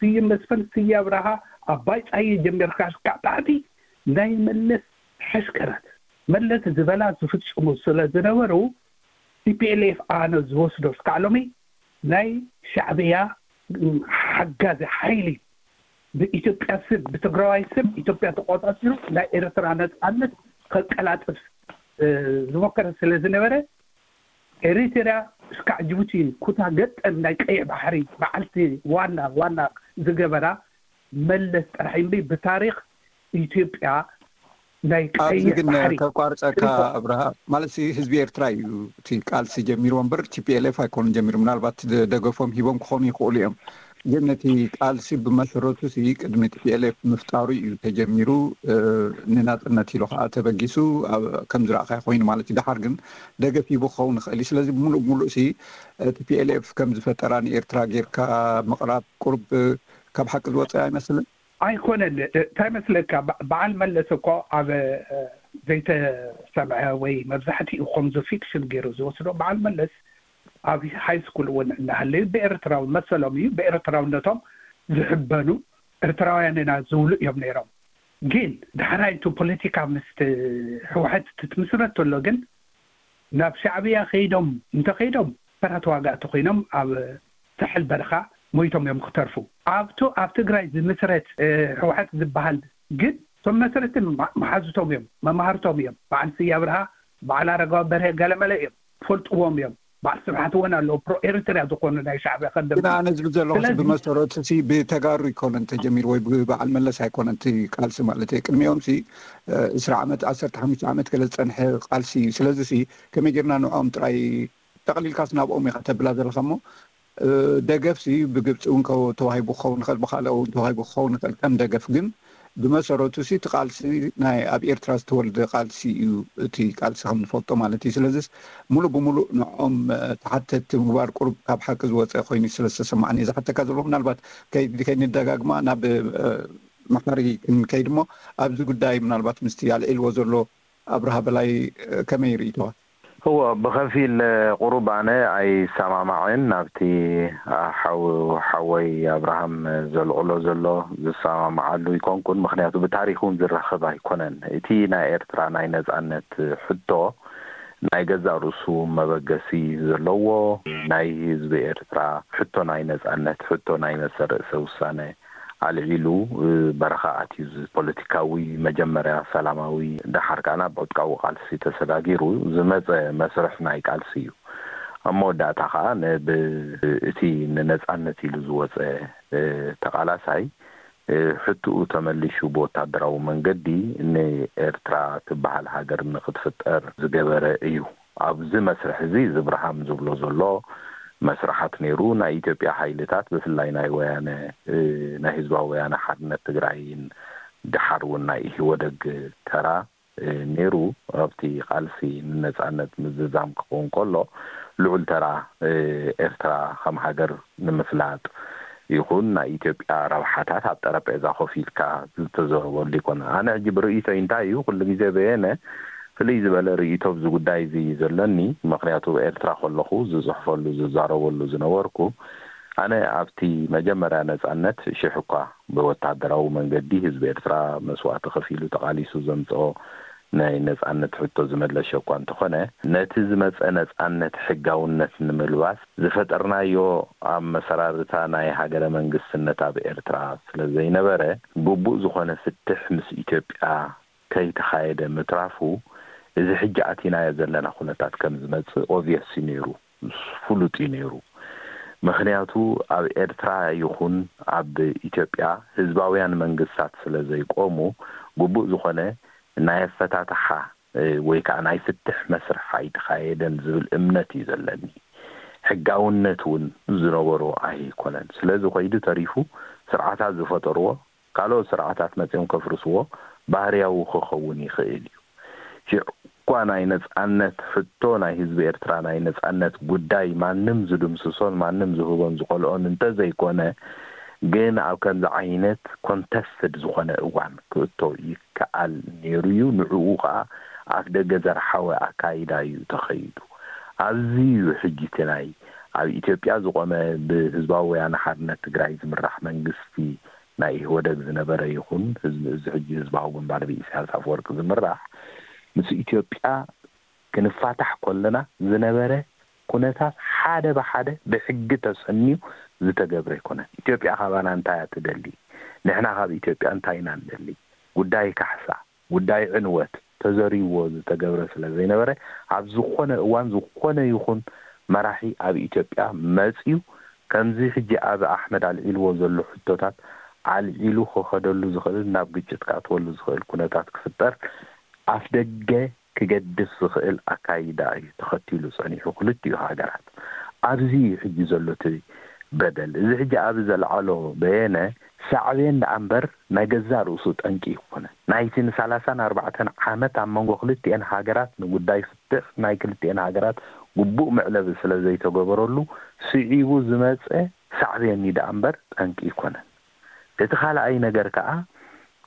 ስዩም መስፍን፣ ስየ ኣብርሃ፣ ኣባይ ፀሃየ ጀሚርካ እስካዕ ታሕቲ ናይ መለስ ሕሽከራት፣ መለስ ዝበላ ዝፍፅሙ ስለ ዝነበሩ፣ ቲ ፒ ኤል ኤፍ ኣነ ዝወስዶ እስካዕ ሎሚ ናይ ሻዕብያ ሓጋዚ ሓይሊ፣ ብኢትዮጵያ ስም፣ ብትግራዋይ ስም ኢትዮጵያ ተቆፃፂሩ ናይ ኤርትራ ነፃነት ከቀላጥፍ ዝሞከረ ስለ ዝነበረ፣ ኤሪትርያ እስካዕ ጅቡቲ ኩታ ገጠም ናይ ቀይሕ ባሕሪ በዓልቲ ዋና ዋና ዝገበራ መለስ ጥራሕ እምበይ ብታሪኽ ኢትዮጵያ ናይ ኣብዚ ቀይሕ ግን ባሕሪ ከቋርፀካ ኣብርሃ፣ ማለት ህዝቢ ኤርትራ እዩ እቲ ቃልሲ ጀሚርዎ እምበር ቲ ፒ ኤል ኤፍ ኣይኮኑን ጀሚሩ። ምናልባት ደ- ደገፎም ሂቦም ክኾኑ ይኽእሉ እዮም። ግን ነቲ ቃልሲ ብመሰረቱ ሲ ቅድሚ ቲ ፒ ኤል ኤፍ ምፍጣሩ እዩ ተጀሚሩ። ንናፅነት ኢሉ ከዓ ተበጊሱ ከም ዝረእኻዮ ኮይኑ ማለት እዩ። ደሓር ግን ደገፍ ሂቡ ክኸውን ይኽእል እዩ። ስለዚ ሙሉእ ሙሉእ ሲ ቲ ፒ ኤል ኤፍ ከም ዝፈጠራ ንኤርትራ ጌርካ ምቕራብ ቁሩብ ካብ ሓቂ ዝወፀ ኣይመስልን። ኣይኮነን። እንታይ መስለካ፣ በዓል መለስ እኮ ኣብ ዘይተሰምዐ ወይ መብዛሕትኡ ከምዚ ፊክሽን ገይሩ ዝወስዶ፣ በዓል መለስ ኣብ ሃይ ስኩል እውን እናሃለዩ ብኤርትራዊ መሰሎም እዩ፣ ብኤርትራውነቶም ዝሕበኑ ኤርትራውያን ኢና ዝብሉ እዮም ነይሮም። ግን ዳሕራይ እቲ ፖለቲካ ምስ ህወሓት ትትምስረት ተሎ ግን ናብ ሻዕብያ ከይዶም እንተኸይዶም ተራ ተዋጋእቲ ኮይኖም ኣብ ሳሕል በረኻ ሞይቶም እዮም ክተርፉ። ኣብቱ ኣብ ትግራይ ዝምስረት ህወሓት ዝበሃል ግን እቶም መስረቲ መሓዙቶም እዮም፣ መማህርቶም እዮም። በዓል ስየ ኣብርሃ፣ በዓል ኣረጋዊ በርሀ ገለመለ እዮም፣ ትፈልጥዎም እዮም። በዓል ስብሓት እውን ኣለዉ፣ ፕሮ ኤርትርያ ዝኾኑ ናይ ሻዕብያ ከደምቲ። ግን ኣነ ዝብል ዘለኹ ብመሰረቱ ሲ ብተጋሩ ኣይኮነን ተጀሚሩ ወይ ብበዓል መለስ ኣይኮነን እቲ ቃልሲ ማለት እየ። ቅድሚኦም ሲ እስራ ዓመት፣ ዓሰርተ ሓሙሽተ ዓመት ገለ ዝፀንሐ ቃልሲ እዩ። ስለዚ ሲ ከመይ ጌርና ንዕኦም ጥራይ ጠቕሊልካስ ናብኦም ኢኻ ተብላ ዘለኻ እሞ ደገፍ ሲ ብግብፂ እውን ተዋሂቡ ክኸውን ይኽእል፣ ብካልእ እውን ተዋሂቡ ክኸውን ይኽእል ከም ደገፍ። ግን ብመሰረቱ ሲ እቲ ቃልሲ ናይ ኣብ ኤርትራ ዝተወልደ ቃልሲ እዩ፣ እቲ ቃልሲ ከም ንፈልጦ ማለት እዩ። ስለዚስ ሙሉእ ብሙሉእ ንዕኦም ተሓተትቲ ምግባር ቁሩብ ካብ ሓቂ ዝወፀ ኮይኑ ስለ ዝተሰማዕኒ እየ ዝሓተካ ዘለኹ። ምናልባት ከይንደጋግማ ናብ መሓሪ ክንከይድ እሞ ኣብዚ ጉዳይ ምናልባት ምስቲ ኣልዒልዎ ዘሎ ኣብርሃ በላይ ከመይ ርእይቶኻ? እወ፣ ብኸፊል ቁሩብ ኣነ ኣይሰማማዕን ናብቲ ሓው ሓወይ ኣብርሃም ዘልዕሎ ዘሎ ዝሰማማዓሉ ኣይኮንኩን። ምኽንያቱ ብታሪኽ እውን ዝራኸብ ኣይኮነን። እቲ ናይ ኤርትራ ናይ ነጻነት ሕቶ ናይ ገዛእ ርእሱ መበገሲ ዘለዎ ናይ ህዝቢ ኤርትራ ሕቶ ናይ ነጻነት ሕቶ ናይ መሰል ርእሰ ውሳነ ኣልዒሉ በረኻ ኣትዩ ፖለቲካዊ መጀመርያ ሰላማዊ ደሓር ከኣ ናብ ዕጥቃዊ ቃልሲ ተሰጋጊሩ ዝመጸ መስርሕ ናይ ቃልሲ እዩ። ኣብ መወዳእታ ከኣ ነብ እቲ ንነጻነት ኢሉ ዝወጸ ተቓላሳይ ሕትኡ ተመሊሹ ብወታደራዊ መንገዲ ንኤርትራ ትበሃል ሃገር ንክትፍጠር ዝገበረ እዩ። ኣብዚ መስርሕ እዚ እዚ ብርሃም ዝብሎ ዘሎ መስርሓት ነይሩ። ናይ ኢትዮጵያ ሓይልታት ብፍላይ ናይ ወያነ፣ እ፣ ናይ ህዝባዊ ወያነ ሓርነት ትግራይን ድሓር እውን ናይ ኢህወደግ ተራ፣ እ፣ ነይሩ። ኣብቲ ቃልሲ ንነጻነት ምዝዛም ክኸውን ከሎ ልዑል ተራ፣ እ፣ ኤርትራ ከም ሃገር ንምፍላጥ ይኹን ናይ ኢትዮጵያ ረብሓታት ኣብ ጠረጴዛ ኮፍ ኢልካ ዝተዘረበሉ ይኮነ። ኣነ ሕጂ ብርእይቶይ እንታይ እዩ፣ ኩሉ ግዜ በየነ ፍልይ ዝበለ ርእይቶ ኣብዚ ጉዳይ እዚ እዩ ዘለኒ። ምክንያቱ ኤርትራ ከለኹ ዝጽሕፈሉ ዝዛረበሉ ዝነበርኩ፣ ኣነ ኣብቲ መጀመርያ ነጻነት ሽሕ እኳ ብወታደራዊ መንገዲ ህዝቢ ኤርትራ መስዋእቲ ከፊሉ ተቓሊሱ ዘምጽኦ ናይ ነጻነት ሕቶ ዝመለሸ እኳ እንተኾነ፣ ነቲ ዝመጸ ነጻነት ሕጋውነት ንምልባስ ዝፈጠርናዮ ኣብ መሰራርታ ናይ ሃገረ መንግስትነት ኣብ ኤርትራ ስለ ዘይነበረ፣ ግቡእ ዝኾነ ፍትሕ ምስ ኢትዮጵያ ከይተኻየደ ምትራፉ፣ እዚ ሕጂ ኣቲናዮ ዘለና ኩነታት ከም ዝመጽእ ኦብቪየስ እዩ ነይሩ፣ ፍሉጥ እዩ ነይሩ። ምክንያቱ ኣብ ኤርትራ ይኹን ኣብ ኢትዮጵያ ህዝባውያን መንግስታት ስለ ዘይቆሙ፣ ግቡእ ዝኾነ ናይ ኣፈታትሓ፣ እ፣ ወይ ከዓ ናይ ፍትሕ መስርሕ ኣይተኻየደን ዝብል እምነት እዩ ዘለኒ። ሕጋውነት እውን ዝነበሮ ኣይኮነን። ስለዚ ኮይዱ ተሪፉ ስርዓታት ዝፈጠርዎ ካልኦት ስርዓታት መጺኦም ከፍርስዎ ባህርያዊ ክኸውን ይኽእል እዩ። ሽዕ እኳ ናይ ነጻነት ሕቶ፣ ናይ ህዝቢ ኤርትራ ናይ ነጻነት ጉዳይ ማንም ዝድምስሶን ማንም ዝህቦን ዝኸልኦን እንተዘይኮነ፣ ግን ኣብ ከምዚ ዓይነት ኮንተስትድ ዝኾነ እዋን ክእቶ ይከኣል ነይሩ እዩ። ንዕኡ ኸኣ ኣፍ ደገ ዘርሓወ ኣካይዳ እዩ ተኸይዱ። ኣብዚ እዩ ሕጂ እቲ ናይ ኣብ ኢትዮጵያ ዝቖመ ብህዝባዊ ወያነ ሓርነት ትግራይ ዝምራሕ መንግስቲ ናይ ኢህወደግ ዝነበረ ይኹን ህዝቢ፣ እዚ ሕጂ ህዝባዊ ግንባር ብኢሳያስ ኣፈወርቂ ዝምራሕ ምስ ኢትዮጵያ ክንፋታሕ ከለና ዝነበረ ኩነታት ሓደ ብሓደ ብሕጊ ተሰንዩ ዝተገብረ ኣይኮነን። ኢትዮጵያ ካባና እንታይ እያ ትደሊ? ንሕና ካብ ኢትዮጵያ እንታይ ኢና ንደሊ? ጉዳይ ካሕሳ፣ ጉዳይ ዕንወት ተዘሪዎ ዝተገብረ ስለ ዘይነበረ፣ ኣብ ዝኾነ እዋን ዝኾነ ይኹን መራሒ ኣብ ኢትዮጵያ መጽዩ ከምዚ ሕጂ ኣብ ኣሕመድ ኣልዒልዎ ዘሎ ሕቶታት ኣልዒሉ ክኸደሉ ዝኽእል፣ ናብ ግጭት ክኣትወሉ ዝኽእል ኩነታት ክፍጠር ኣፍ ደገ ክገድፍ ዝኽእል ኣካይዳ እዩ ተኸቲሉ ጸኒሑ ክልቲኡ ሃገራት። ኣብዚ እዩ ሕጂ ዘሎ እቲ በደል። እዚ ሕጂ ኣብ ዘልዓሎ በየነ ሳዕቤን ደኣ እምበር ናይ ገዛእ ርእሱ ጠንቂ ይኮነ። ናይቲ ንሰላሳን ኣርባዕተን ዓመት ኣብ መንጎ ክልቲኤን ሃገራት ንጉዳይ ፍትሕ ናይ ክልቲኤን ሃገራት ግቡእ መዕለቢ ስለ ዘይተገበረሉ ስዒቡ ዝመጸ ሳዕቤን እዩ ደኣ እምበር ጠንቂ ይኮነን። እቲ ካልኣይ ነገር ከኣ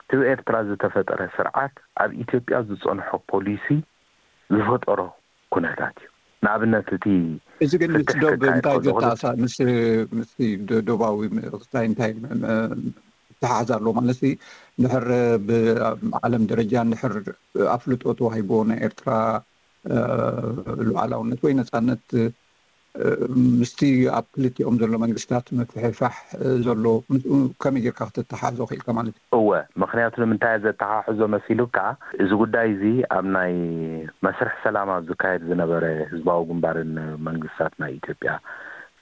እቲ ብኤርትራ ዝተፈጠረ ስርዓት ኣብ ኢትዮጵያ ዝጸንሖ ፖሊሲ ዝፈጠሮ ኩነታት እዩ። ንኣብነት እቲ እዚ ግን ምስ ፍትሕ ዶብ ክካየድ እንታይ ከሎ ዘተኣሳ-፣ ምስ፣ ምስ ዶ-፣ ዶባዊ ምርክታይ እንታይ ም-፣ ም-፣ ይተሓሓዝ ኣሎ ማለት እዩ? ድሕር ብዓለም ደረጃ ድሕር ኣፍልጦ ተዋሂቦ ናይ ኤርትራ፣ እ፣ ሉዓላውነት ወይ ነጻነት፣ እ፣ ምስቲ ኣብ ክልቲኦም ዘሎ መንግስታት ምፍሕፋሕ፣ እ፣ ዘሎ ምስኡ ከመይ ጌርካ ከተተሓሕዞ ክኢልካ ማለት እዩ? እወ፣ ምኽንያቱ ንምንታይ እየ ዘተሓሕዞ መሲሉካ? እዚ ጉዳይ እዚ ኣብ ናይ መስርሕ ሰላም ኣብ ዝካየድ ዝነበረ ህዝባዊ ግንባርን መንግስታት ናይ ኢትዮጵያ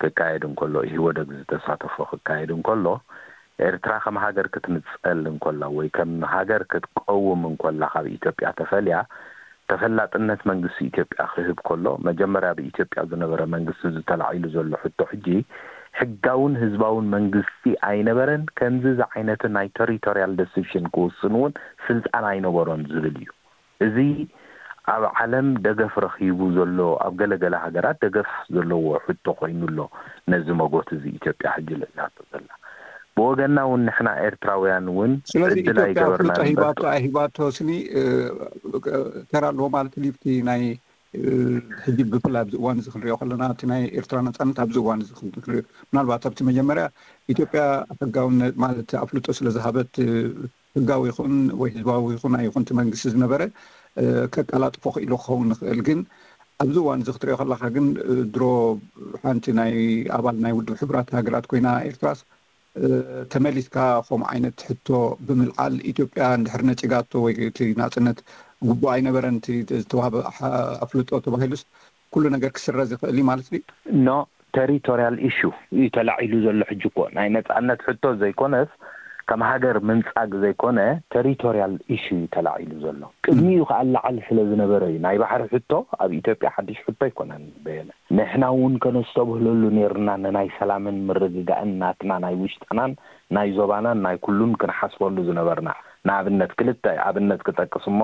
ክካየድ እንከሎ፣ ኢህወደግ ዝተሳተፎ ክካየድ እንከሎ፣ ኤርትራ ከም ሃገር ክትንጸል እንከላ ወይ ከም ሃገር ክትቀውም እንከላ ካብ ኢትዮጵያ ተፈልያ፣ ተፈላጥነት መንግስቲ ኢትዮጵያ ክህብ ከሎ፣ መጀመርያ ብኢትዮጵያ ዝነበረ መንግስቲ ዝተላዒሉ ዘሎ ሕቶ ሕጂ ሕጋውን ህዝባውን መንግስቲ ኣይነበረን፣ ከምዚ ዝዓይነትን ናይ ቴሪቶሪያል ዲሲሽን ክውስን እውን ስልጣን ኣይነበሮን ዝብል እዩ። እዚ ኣብ ዓለም ደገፍ ረኺቡ ዘሎ፣ ኣብ ገለገለ ሃገራት ደገፍ ዘለዎ ሕቶ ኮይኑ ኣሎ። ነዚ መጎት እዚ ኢትዮጵያ ሕጂ ልዕላቶ ዘላ። ብወገንና እውን ንሕና ኤርትራውያን እውን ስለዚ ዕድል ኢትዮጵያ ኣይገበርናን ኣፍልጦ እምበር ሂባቶ ኣይሂባቶ ስኒ፣ እ፣ ተራ ኣለዎ ማለት እዩ። ኣብቲ ናይ፣ እ፣ ሕጂ ብፍላይ ኣብዚ እዋን እዚ ክንሪኦ ከለና፣ እቲ ናይ ኤርትራ ነጻነት ኣብዚ እዋን እዚ ክንሪኦ፣ ምናልባት ኣብቲ መጀመርያ ኢትዮጵያ ሕጋውነት ማለት ኣፍልጦ ስለ ዝሃበት፣ እ፣ ህጋዊ ይኹን ወይ ህዝባዊ ይኹን ኣይኹን እቲ መንግስቲ ዝነበረ፣ እ፣ ከቀላጥፎ ክኢሉ ክኸውን ይኽእል። ግን ኣብዚ እዋን እዚ ክትሪኦ ከለኻ ግን፣ እ፣ ድሮ ሓንቲ ናይ ኣባል ናይ ውድብ ሕቡራት ሃገራት ኮይና ኤርትራስ፣ እ፣ ተመሊስካ ከምኡ ዓይነት ሕቶ ብምልዓል ኢትዮጵያ እንድሕር ነጺጋቶ ወይ እቲ ናጽነት ግቡእ ኣይነበረን እቲ ዝተዋህበ ሓ-፣ ኣፍልጦ ተባሂሉስ ኩሉ ነገር ክስረዝ ይኽእል እዩ ማለት ድዩ? ኖ፣ ቴሪቶሪያል ኢሹ እዩ ተላዒሉ ዘሎ። ሕጂ እኮ ናይ ነጻነት ሕቶ ዘይኮነስ ከም ሃገር ምንጻግ ዘይኮነ፣ ቴሪቶርያል ኢሹ እዩ ተላዒሉ ዘሎ። ቅድሚኡ ከኣ ላዓል ስለ ዝነበረ እዩ። ናይ ባሕሪ ሕቶ ኣብ ኢትዮጵያ ሓድሽ ሕቶ ኣይኮነን። በየነ፣ ንሕና እውን ከነስተብህለሉ ነይርና፣ ንናይ ሰላምን ምርግጋእን ናትና፣ ናይ ውሽጥናን ናይ ዞባናን ናይ ኩሉን ክንሓስበሉ ዝነበርና። ንኣብነት፣ ክልተ ኣብነት ክጠቅስ እሞ፣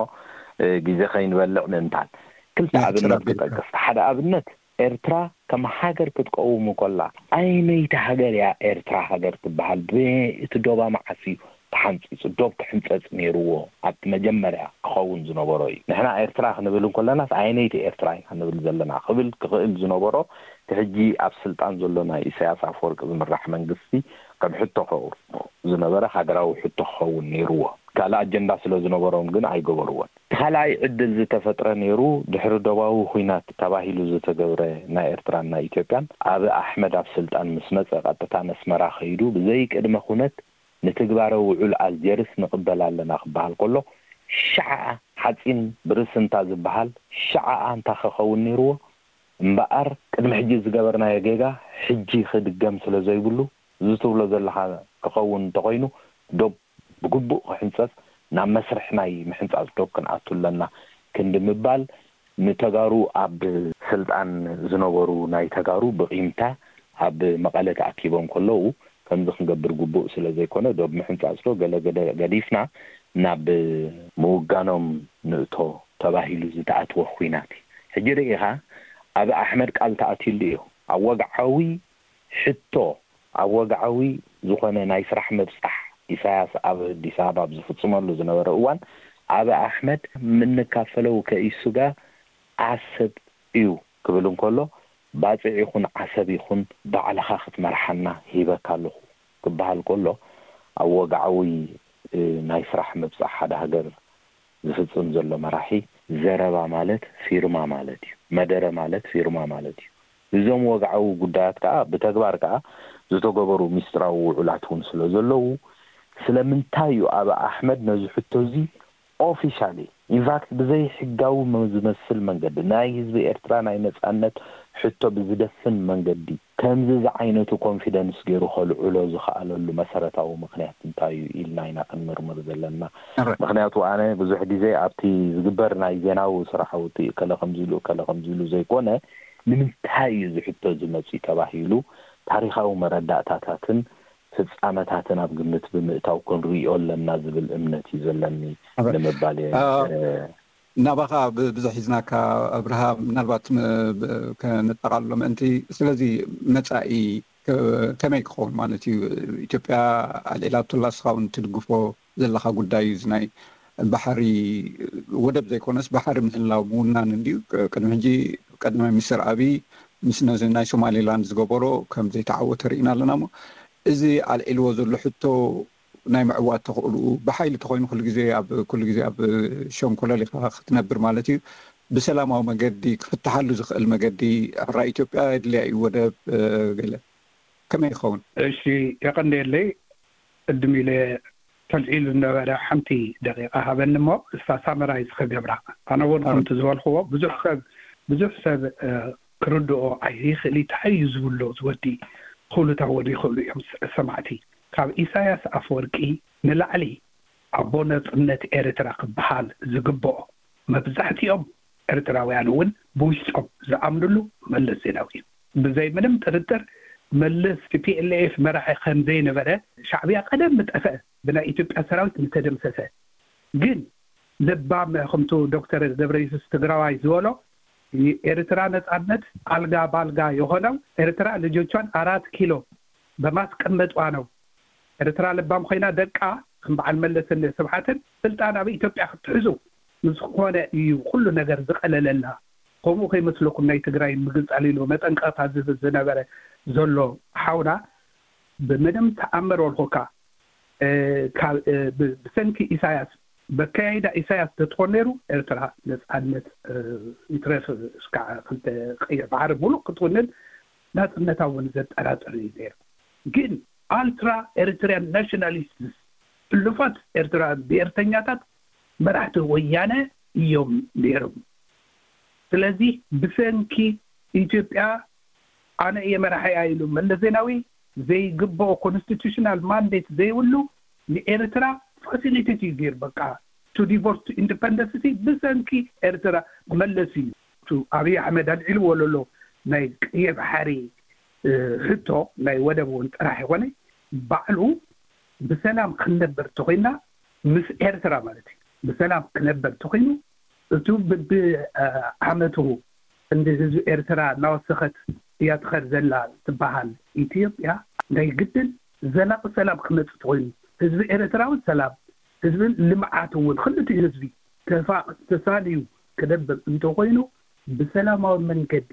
እ፣ ግዜ ከይንበልዕ ምእንታን፣ ክልተ ኣብነት ክጠቅስ። ሓደ ኣብነት፣ ኤርትራ ከም ሃገር ክትቀውም ከላ፣ ኣይነይቲ ሃገር እያ ኤርትራ ሃገር ትበሃል? ብእቲ ዶባ መዓስ እዩ ተሓንጺጹ? ዶብ ክሕንጸጽ ነይርዎ፣ ኣብቲ መጀመርያ ክኸውን ዝነበሮ እዩ። ንሕና ኤርትራ ክንብል እንከለናስ፣ ኣየነይቲ ኤርትራ ኢና ንብል ዘለና ክብል ክኽእል ዝነበሮ፣ እቲ ሕጂ ኣብ ስልጣን ዘሎ ናይ ኢሳያስ ኣፈወርቂ ዝምራሕ መንግስቲ ከም ሕቶ ከቕርቦ ዝነበረ ሃገራዊ ሕቶ ክኸውን ነይርዎ። ካልእ ኣጀንዳ ስለ ዝነበሮም ግን ኣይገበርዎን። ካልኣይ ዕድል ዝተፈጥረ ነይሩ፣ ድሕሪ ዶባዊ ኹናት ተባሂሉ ዝተገብረ፣ ናይ ኤርትራን ናይ ኢትዮጵያን። ኣብ ኣሕመድ ኣብ ስልጣን ምስ መጸ፣ ቀጥታ ነስመራ ከይዱ፣ ብዘይ ቅድመ ኩነት ንትግባረ ውዑል ኣልጀርስ ንቕበል ኣለና ክበሃል ከሎ፣ ሸዓኣ ሓጺን ብርስንታ ዝበሃል ሸዓኣ እንታ ክኸውን ነይርዎ። እምበኣር፣ ቅድሚ ሕጂ ዝገበርናዮ ጌጋ ሕጂ ክድገም ስለ ዘይብሉ፣ እዚ ትብሎ ዘለኻ ክኸውን እንተኾይኑ፣ ዶብ ብግቡእ ክሕንጸጽ፣ ናብ መስርሕ ናይ ምሕንጻጽ ዶብ ክንኣቱ ኣለና ክንዲ ምባል፣ ንተጋሩ፣ ኣብ ስልጣን ዝነበሩ ናይ ተጋሩ ብቂምታ ኣብ መቐለ ተኣኪቦም ከለዉ፣ ከምዚ ክንገብር ግቡእ ስለ ዘይኮነ፣ ዶብ ምሕንጻጽ ዶ ገለ ገደ ገዲፍና ናብ ምውጋኖም ንእቶ ተባሂሉ ዝተኣትወ ኹናት እዩ። ሕጂ ርኢኻ፣ ኣብ ኣሕመድ ቃል ተኣትዩሉ እዩ። ኣብ ወግዓዊ ሕቶ፣ ኣብ ወግዓዊ ዝኾነ ናይ ስራሕ ምብጻሕ ኢሳያስ ኣብ ኣዲስ ኣበባ ኣብ ዝፍጽመሉ ዝነበረ እዋን፣ ኣብ ኣሕመድ የምንካፈለው ከኢሱጋ ዓሰብ እዩ ክብል እንከሎ፣ ባጽዕ ይኹን ዓሰብ ይኹን ባዕልኻ ክትመርሓና ሂበካ ኣለኹ ክበሃል ከሎ፣ ኣብ ወግዓዊ፣ እ፣ ናይ ስራሕ ምብጻሕ ሓደ ሃገር ዝፍጽም ዘሎ መራሒ፣ ዘረባ ማለት ፊርማ ማለት እዩ። መደረ ማለት ፊርማ ማለት እዩ። እዞም ወግዓዊ ጉዳያት ከኣ፣ ብተግባር ከኣ ዝተገበሩ ሚስጥራዊ ውዑላት እውን ስለ ዘለዉ፣ ስለምንታይ እዩ ኣብ ኣሕመድ ነዚ ሕቶ እዚ ኦፊሻሊ፣ ኢንፋክት፣ ብዘይ ሕጋዊ ዝመስል መንገዲ፣ ናይ ህዝቢ ኤርትራ ናይ ነጻነት ሕቶ ብዝደፍን መንገዲ፣ ከምዚ ዝዓይነቱ ኮንፊደንስ ገይሩ ከልዕሎ ዝኸኣለሉ መሰረታዊ ምኽንያት እንታይ እዩ ኢልና ኢና ክንምርምር ዘለና። ምኽንያቱ፣ ኣነ ብዙሕ ግዜ ኣብቲ ዝግበር ናይ ዜናዊ ስራሕ ውጽእ፣ ከለ ከምዚ ኢሉ፣ ከለ ከምዚ ኢሉ ዘይኮነ፣ ንምንታይ እዩ እዚ ሕቶ እዚ መጺኡ ተባሂሉ፣ ታሪኻዊ መረዳእታታትን ፍጻመታትን ኣብ ግምት ብምእታው ክንርእዮ ኣለና ዝብል እምነት እዩ ዘለኒ ንምባል እየ። ናባኻ ብዙሕ ሒዝናካ፣ ኣብርሃ፣ ምናልባት ከነጠቓልሎ ምእንቲ። ስለዚ፣ መጻኢ ከመይ ክኸውን ማለት እዩ? ኢትዮጵያ ኣልዒላቶላ፣ እስኻ እውን ትድግፎ ዘለኻ ጉዳይ እዩ። እዚ ናይ ባሕሪ፣ ወደብ ዘይኮነስ ባሕሪ ምህላው ምውናን እንድዩ። ቅድሚ ሕጂ ቀዳማይ ሚኒስትር ኣብይ ምስ ነዚ ናይ ሶማሌላንድ ዝገበሮ ከም ዘይተዓወተ ርኢና ኣለና። እሞ እዚ ኣልዒልዎ ዘሎ ሕቶ ናይ ምዕዋት ተኽእልኡ፣ ብሓይሊ ተኾይኑ ኩሉ ግዜ ኣብ፣ ኩሉ ግዜ ኣብ ሸንኮለል ኢኻ ክትነብር ማለት እዩ። ብሰላማዊ መገዲ ክፍትሓሉ ዝኽእል መገዲ፣ ሕራይ ኢትዮጵያ የድልያ እዩ ወደብ፣ ገለ ከመይ ይኸውን? እሺ፣ የቐንየለይ። ቅድም ኢለ ተልዒሉ ዝነበረ ሓንቲ ደቂቃ ሃበኒ እሞ፣ እሳ ሳመራይዝ ክገብራ። ኣነ እውን ከምቲ ዝበልክዎ፣ ብዙሕ ሰብ፣ ብዙሕ ሰብ ክርድኦ ኣይኽእል። እንታይ እዩ ዝብሎ ዝወዲ? ክብሉ ተወዲ ይኽእሉ እዮም ሰማዕቲ። ካብ ኢሳያስ ኣፈወርቂ ንላዕሊ ኣቦ ናጽነት ኤርትራ ክበሃል ዝግብኦ፣ መብዛሕትኦም ኤርትራውያን እውን ብውሽጦም ዝኣምንሉ፣ መለስ ዜናዊ እዩ። ብዘይ ምንም ጥርጥር፣ መለስ ቲ ፒ ኤል ኤፍ መራሒ ከም ዘይነበረ፣ ሻዕብያ ቀደም ምጠፍአ፣ ብናይ ኢትዮጵያ ሰራዊት ምተደምሰሰ። ግን ለባም፣ ከምቱ ዶክተር ገብረየሱስ ትግራዋይ ዝበሎ፣ የኤርትራ ነጻነት አልጋ ባልጋ የሆነው ኤርትራ ልጆቿን አራት ኪሎ በማስቀመጧ ነው። ኤርትራ ለባም ኮይና፣ ደቃ ከም በዓል መለስን ስብሓትን ስልጣን ኣብ ኢትዮጵያ ክትሕዙ ምስ ኮነ እዩ ኩሉ ነገር ዝቐለለላ። ከምኡ ከይመስለኩም፣ ናይ ትግራይ ምግንጻል ኢሉ መጠንቀቕታ ዝህብ ዝነበረ ዘሎ ሓውና፣ ብምንም ተኣምር ወልኹካ፣ እ፣ ካብ፣ እ፣ ብ-፣ ብሰንኪ ኢሳያስ፣ በካያይዳ ኢሳያስ ተትኾን ነይሩ፣ ኤርትራ ነጻነት፣ እ፣ ይትረፍ እስካ ክልተ ቀይሕ ባሕሪ ሙሉእ ክትውንን ናጽነታ እውን ዘጠራጥር እዩ ነይሩ። ግን ኣልትራ ኤርትሪያን ናሽናሊስትስ፣ ሕሉፋት ኤርትራ ብኤርተኛታት መራሕቲ ወያነ እዮም ነይሮም። ስለዚ ብሰንኪ ኢትዮጵያ ኣነ እየ መራሒያ ኢሉ መለስ ዜናዊ ዘይግብኦ ኮንስቲቱሽናል ማንዴት ዘይብሉ ንኤርትራ ፋሲሊቴት እዩ ገይሩ። በቃ to divorce to independence ብሰንኪ ኤርትራ መለስ እዩ። ኣብይ ኣሕመድ ኣልዒልዎ ዘሎ ናይ ቀይሕ ባሕሪ ሕቶ ናይ ወደብ እውን ጥራሕ ይኾነ ባዕሉ ብሰላም ክንነበር ተኾይና ምስ ኤርትራ ማለት እዩ። ብሰላም ክነበር ተኾይኑ እቱ ብብዓመቱ እንዲ ህዝቢ ኤርትራ እናወሰኸት እያ ትኸድ ዘላ ትበሃል ኢትዮጵያ ናይ ግድን ዘላቂ ሰላም ክመጽእ ተኾይኑ ህዝቢ ኤርትራ እውን ሰላም ህዝብን ልምዓት እውን ክልቲኡ ህዝቢ ተፋ ተሳልዩ ክነብር እንተኾይኑ ብሰላማዊ መንገዲ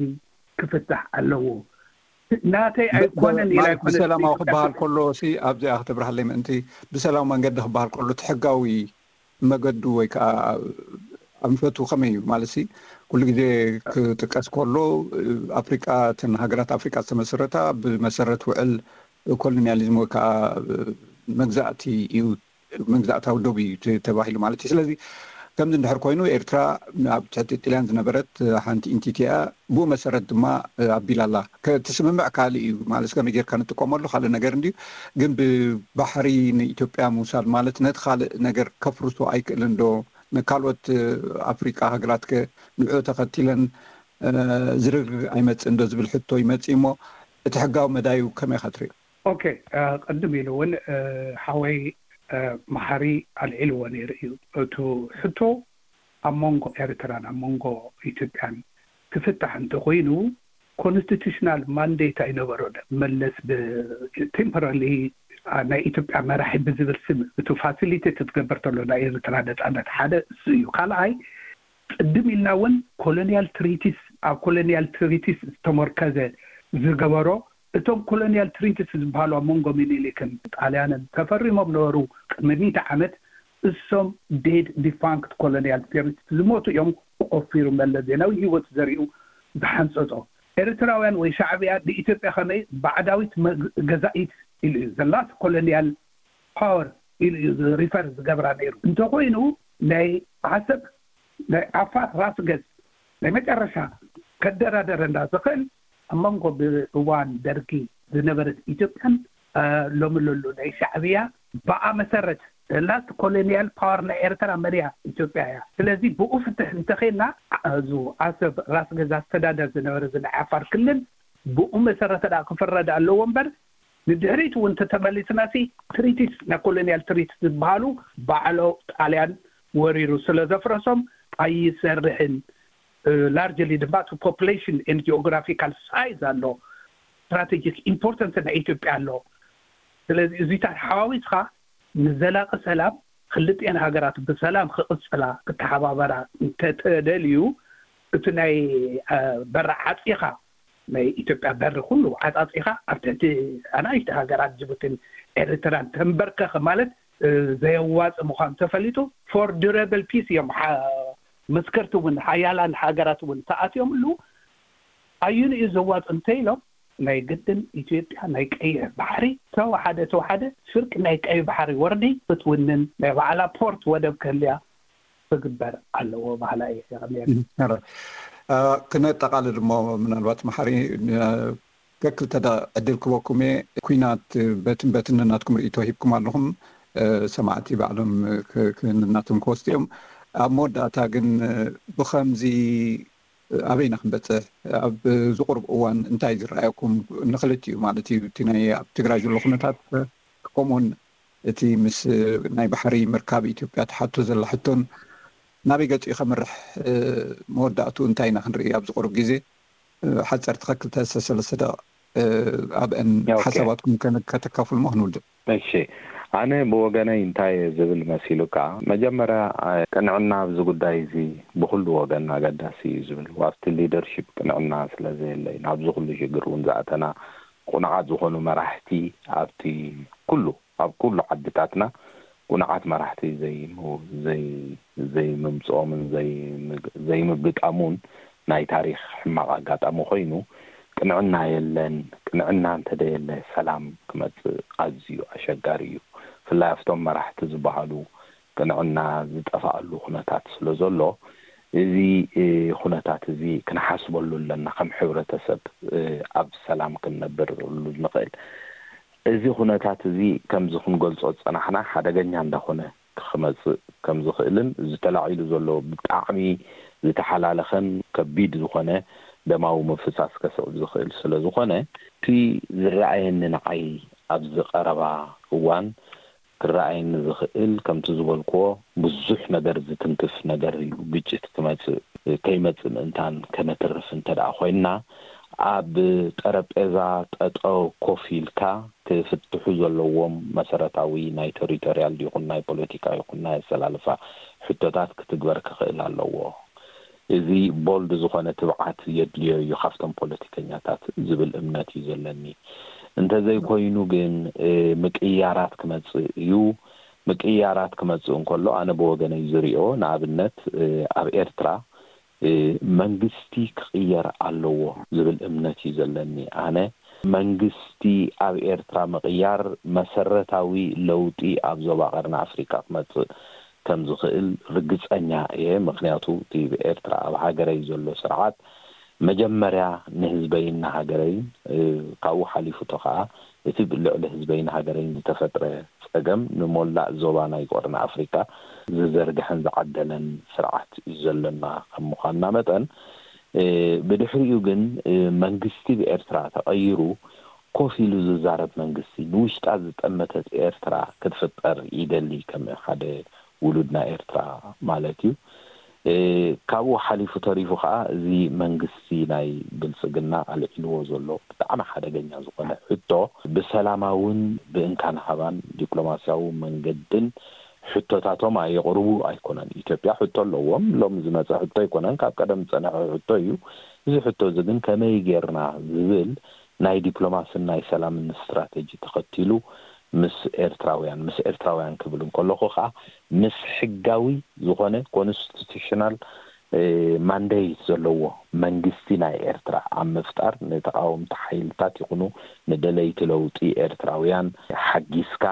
ክፍታሕ ኣለዎ። ናተይ ኣይኮነን ኢላ ኣይኮነን ብሰላማዊ ክበሃል ከሎ ሲ ኣብዚኣ ክተብርሃለይ ምእንቲ ብሰላማዊ መንገዲ ክበሃል ከሎ እቲ ሕጋዊ መገዱ ወይ ከዓ ኣንፈቱ ከመይ እዩ ማለት ሲ ኩሉ ግዜ ክጥቀስ ከሎ ኣፍሪቃ እተን ሃገራት ኣፍሪቃ ዝተመሰረታ ብመሰረት ውዕል ኮሎኒያሊዝም ወይ ከዓ መግዛእቲ እዩ መግዛእታዊ ዶብ እዩ ተባሂሉ ማለት እዩ። ስለዚ ከምዚ እንድሕር ኮይኑ ኤርትራ ኣብ ትሕቲ ጥልያን ዝነበረት ሓንቲ ኢንቲቲ እያ። ብኡ መሰረት ድማ ኣቢላ ኣላ። እቲ ስምምዕ ካልእ እዩ ማለት ከመይ ጌርካ ንጥቀመሉ ካልእ ነገር እንድዩ። ግን ብባሕሪ ንኢትዮጵያ ምውሳድ ማለት ነቲ ካልእ ነገር ከፍርሶ ኣይክእልን ዶ? ንካልኦት ኣፍሪቃ ሃገራት ከ ንዕኡ ተኸቲለን ዝርግርግ ኣይመጽእን ዶ ዝብል ሕቶ ይመጽእ እሞ እቲ ሕጋዊ መዳዩ ከመይ ኢኻ ትሪኦ? ኦኬ፣ ቅድም ኢሉ እውን ሓወይ መሓሪ ኣልዒልዎ ነይሩ እዩ። እቱ ሕቶ ኣብ መንጎ ኤርትራን ኣብ መንጎ ኢትዮጵያን ክፍታሕ እንተኮይኑ ኮንስቲቱሽናል ማንዴት ኣይነበሮ መለስ ብቴምፖራሊ ናይ ኢትዮጵያ መራሒ ብዝብል ስም እቱ ፋሲሊቴት ትገብር ተሎ ናይ ኤርትራ ነፃነት ሓደ እሱ እዩ። ካልኣይ ቅድም ኢልና እውን ኮሎኒያል ትሪቲስ ኣብ ኮሎኒያል ትሪቲስ ዝተመርከዘ ዝገበሮ እቶም ኮሎኒያል ትሪቲስ ዝበሃሉ ኣብ መንጎ ሚኒሊክን ጣልያንን ተፈሪሞም ነበሩ። ቅድሚ ሚእቲ ዓመት እሶም ዴድ ዲፋንክት ኮሎኒያል ትሪቲስ ዝሞቱ እዮም። ቆፊሩ መለስ ዜናዊ ህይወት ዘሪኡ ዝሓንፀፆ ኤርትራውያን ወይ ሻዕብያ ንኢትዮጵያ ከመይ ባዕዳዊት ገዛኢት ኢሉ እዩ ዘላስ ኮሎኒያል ፓወር ኢሉ እዩ ሪፈር ዝገብራ ነይሩ። እንተኮይኑ ናይ ዓሰብ ናይ ዓፋር ራስ ገዝ ናይ መጨረሻ ከደራደረና ዝኽእል ኣብ መንጎ ብእዋን ደርጊ ዝነበረት ኢትዮጵያን ሎሚ ለሎ ናይ ሻዕብያ ብኣ መሰረት ላስት ኮሎኒያል ፓወር ናይ ኤርትራ መን እያ? ኢትዮጵያ እያ። ስለዚ ብኡ ፍትሕ እንተኸና እዚ ዓሰብ ራስ ገዝ ኣስተዳደር ዝነበረ እዚ ናይ ዓፋር ክልል ብኡ መሰረት ደኣ ክፍረድ ኣለዎ እምበር ንድሕሪት እውን ተተመሊስና ሲ ትሪቲስ ናይ ኮሎኒያል ትሪቲስ ዝበሃሉ ባዕሎ ጣልያን ወሪሩ ስለ ዘፍረሶም ኣይሰርሕን። ላርጅሊ ድማ እቲ ፖፕሌሽን ን ጂኦግራፊካል ሳይዝ ኣሎ፣ ስትራቴጂክ ኢምፖርተንስ ናይ ኢትዮጵያ ኣሎ። ስለዚ እዚታት ሓዋዊስካ ንዘላቂ ሰላም ክልጥኤን ሃገራት ብሰላም ክቕፅላ ክተሓባበራ እንተተደልዩ እቲ ናይ በሪ ዓፂኻ ናይ ኢትዮጵያ በሪ ኩሉ ዓፃፂኻ ኣብ ትሕቲ ኣናእሽተ ሃገራት ጅቡቲን ኤርትራን ተንበርከኸ ማለት ዘየዋፅእ ምዃኑ ተፈሊጡ ፎር ዱረብል ፒስ እዮም መስከርቲ እውን ሓያላን ሃገራት እውን ተኣትዮም ኣለዉ። ኣዩን እዩ ዘዋፅ እንተ ኢሎም ናይ ግድን ኢትዮጵያ ናይ ቀይሕ ባሕሪ ተወሓደ ተወሓደ ፍርቂ ናይ ቀይሕ ባሕሪ ወርዲ ክትውንን ናይ ባዕላ ፖርት ወደብ ክህልያ ክግበር ኣለዎ ባህላ እየ። ክነጠቃልል እሞ ምናልባት መሓሪ ከክልተ ዕድል ክበኩም እየ። ኩናት በትን በትን ናትኩም ርእቶ ሂብኩም ኣለኹም። ሰማዕቲ ባዕሎም ክናቶም ክወስዱ እዮም። ኣብ መወዳእታ ግን ብኸምዚ ኣበይና ክንበፅሕ ኣብ ዝቁርብ እዋን እንታይ ዝረኣየኩም ንክልቲኡ ማለት እዩ እቲ ናይ ኣብ ትግራይ ዘሎ ኩነታት ከምኡውን እቲ ምስ ናይ ባሕሪ ምርካብ ኢትዮጵያ ትሓቶ ዘላ ሕቶን ናበይ ገፂኡ ከምርሕ መወዳእቱ እንታይ ኢና ክንርኢ ኣብ ዝቁርብ ግዜ ሓፀርቲ ከክልተ ሰለስተ ደቂቕ ኣብአን ሓሳባትኩም ከተካፍልሞ ክንውድእ። እሺ፣ ኣነ ብወገነይ እንታይ ዝብል መሲሉካ፣ መጀመርያ ቅንዕና ኣብዚ ጉዳይ እዚ ብኩሉ ወገን ኣገዳሲ እዩ ዝብል፣ ኣብቲ ሊደርሺፕ ቅንዕና ስለ ዘየለ እዩ ናብዚ ኩሉ ሽግር እውን ዝኣተና። ቁኑዓት ዝኾኑ መራሕቲ ኣብቲ ኩሉ ኣብ ኩሉ ዓድታትና ቁኑዓት መራሕቲ ዘይምምፅኦምን ዘይምግጣሙን ናይ ታሪክ ሕማቕ ኣጋጣሚ ኮይኑ ቅንዕና የለን። ቅንዕና እንተደየለ ሰላም ክመፅእ ኣዝዩ ኣሸጋሪ እዩ። ብፍላይ ኣብቶም መራሕቲ ዝበሃሉ ቅንዕና ዝጠፍኣሉ ኩነታት ስለ ዘሎ እዚ ኩነታት እዚ ክንሓስበሉ ኣለና። ከም ሕብረተሰብ ኣብ ሰላም ክንነብርሉ ንኽእል እዚ ኩነታት እዚ ከምዚ ክንገልጾ ዝጸናሕና ሓደገኛ እንዳኾነ ክመጽእ ከም ዝኽእልን ዝተላዒሉ ዘሎ ብጣዕሚ ዝተሓላለኸን ከቢድ ዝኾነ ደማዊ ምፍሳስ ከስዕብ ዝኽእል ስለ ዝኾነ እቲ ዝረኣየኒ ንዓይ ኣብዚ ቀረባ እዋን ክረኣየኒ ዝኽእል ከምቲ ዝበልክዎ ብዙሕ ነገር ዝትንክፍ ነገር እዩ። ግጭት ክመጽእ ከይመጽእ ምእንታን ከነትርፍ እንተ ደኣ ኮይንና ኣብ ጠረጴዛ ጠጠው ኮፍ ኢልካ ክፍትሑ ዘለዎም መሰረታዊ ናይ ቴሪቶሪያል ይኹን ናይ ፖለቲካ ይኹን ናይ ኣሰላልፋ ሕቶታት ክትግበር ክኽእል ኣለዎ። እዚ ቦልድ ዝኾነ ትብዓት የድልዮ እዩ ካብቶም ፖለቲከኛታት ዝብል እምነት እዩ ዘለኒ። እንተዘይኮይኑ ግን ምቅያራት ክመጽእ እዩ። ምቅያራት ክመጽእ እንከሎ ኣነ ብወገነይ ዝሪኦ ንኣብነት ኣብ ኤርትራ መንግስቲ ክቕየር ኣለዎ ዝብል እምነት እዩ ዘለኒ። ኣነ መንግስቲ ኣብ ኤርትራ ምቕያር መሰረታዊ ለውጢ ኣብ ዞባ ቀርኒ ኣፍሪካ ክመጽእ ከም ዝኽእል ርግጸኛ እየ። ምክንያቱ እቲ ብኤርትራ ኣብ ሃገረይ ዘሎ ስርዓት መጀመርያ ንህዝበይን ንሃገረይን ካብኡ ሓሊፉ ቶ ከዓ እቲ ልዕሊ ህዝበይን ሃገረይን ዝተፈጥረ ጸገም ንሞላእ ዞባ ናይ ቀርኒ ኣፍሪካ ዝዘርግሐን ዝዓደለን ስርዓት እዩ ዘለና ከም ምዃንና መጠን ብድሕሪኡ ግን መንግስቲ ብኤርትራ ተቐይሩ ኮፍ ኢሉ ዝዛረብ መንግስቲ ንውሽጣ ዝጠመተት ኤርትራ ክትፍጠር ይደሊ ከም ሓደ ውሉድ ናይ ኤርትራ ማለት እዩ። ካብኡ ሓሊፉ ተሪፉ ከዓ እዚ መንግስቲ ናይ ብልፅግና ኣልዒልዎ ዘሎ ብጣዕሚ ሓደገኛ ዝኾነ ሕቶ ብሰላማውን ብእንካን ሃባን ዲፕሎማሲያዊ መንገድን ሕቶታቶም ኣየቕርቡ ኣይኮነን። ኢትዮጵያ ሕቶ ኣለዎም። ሎም ዝመፀ ሕቶ ኣይኮነን፣ ካብ ቀደም ዝፀነሐ ሕቶ እዩ። እዚ ሕቶ እዚ ግን ከመይ ጌርና ዝብል ናይ ዲፕሎማስን ናይ ሰላምን ስትራተጂ ተኸቲሉ ምስ ኤርትራውያን፣ ምስ ኤርትራውያን ክብል እንከለኹ ከዓ ምስ ሕጋዊ ዝኾነ ኮንስቲቱሽናል ማንዴት ዘለዎ መንግስቲ ናይ ኤርትራ ኣብ ምፍጣር ንተቃወምቲ ሓይልታት ይኹኑ ንደለይቲ ለውጢ ኤርትራውያን ሓጊዝካ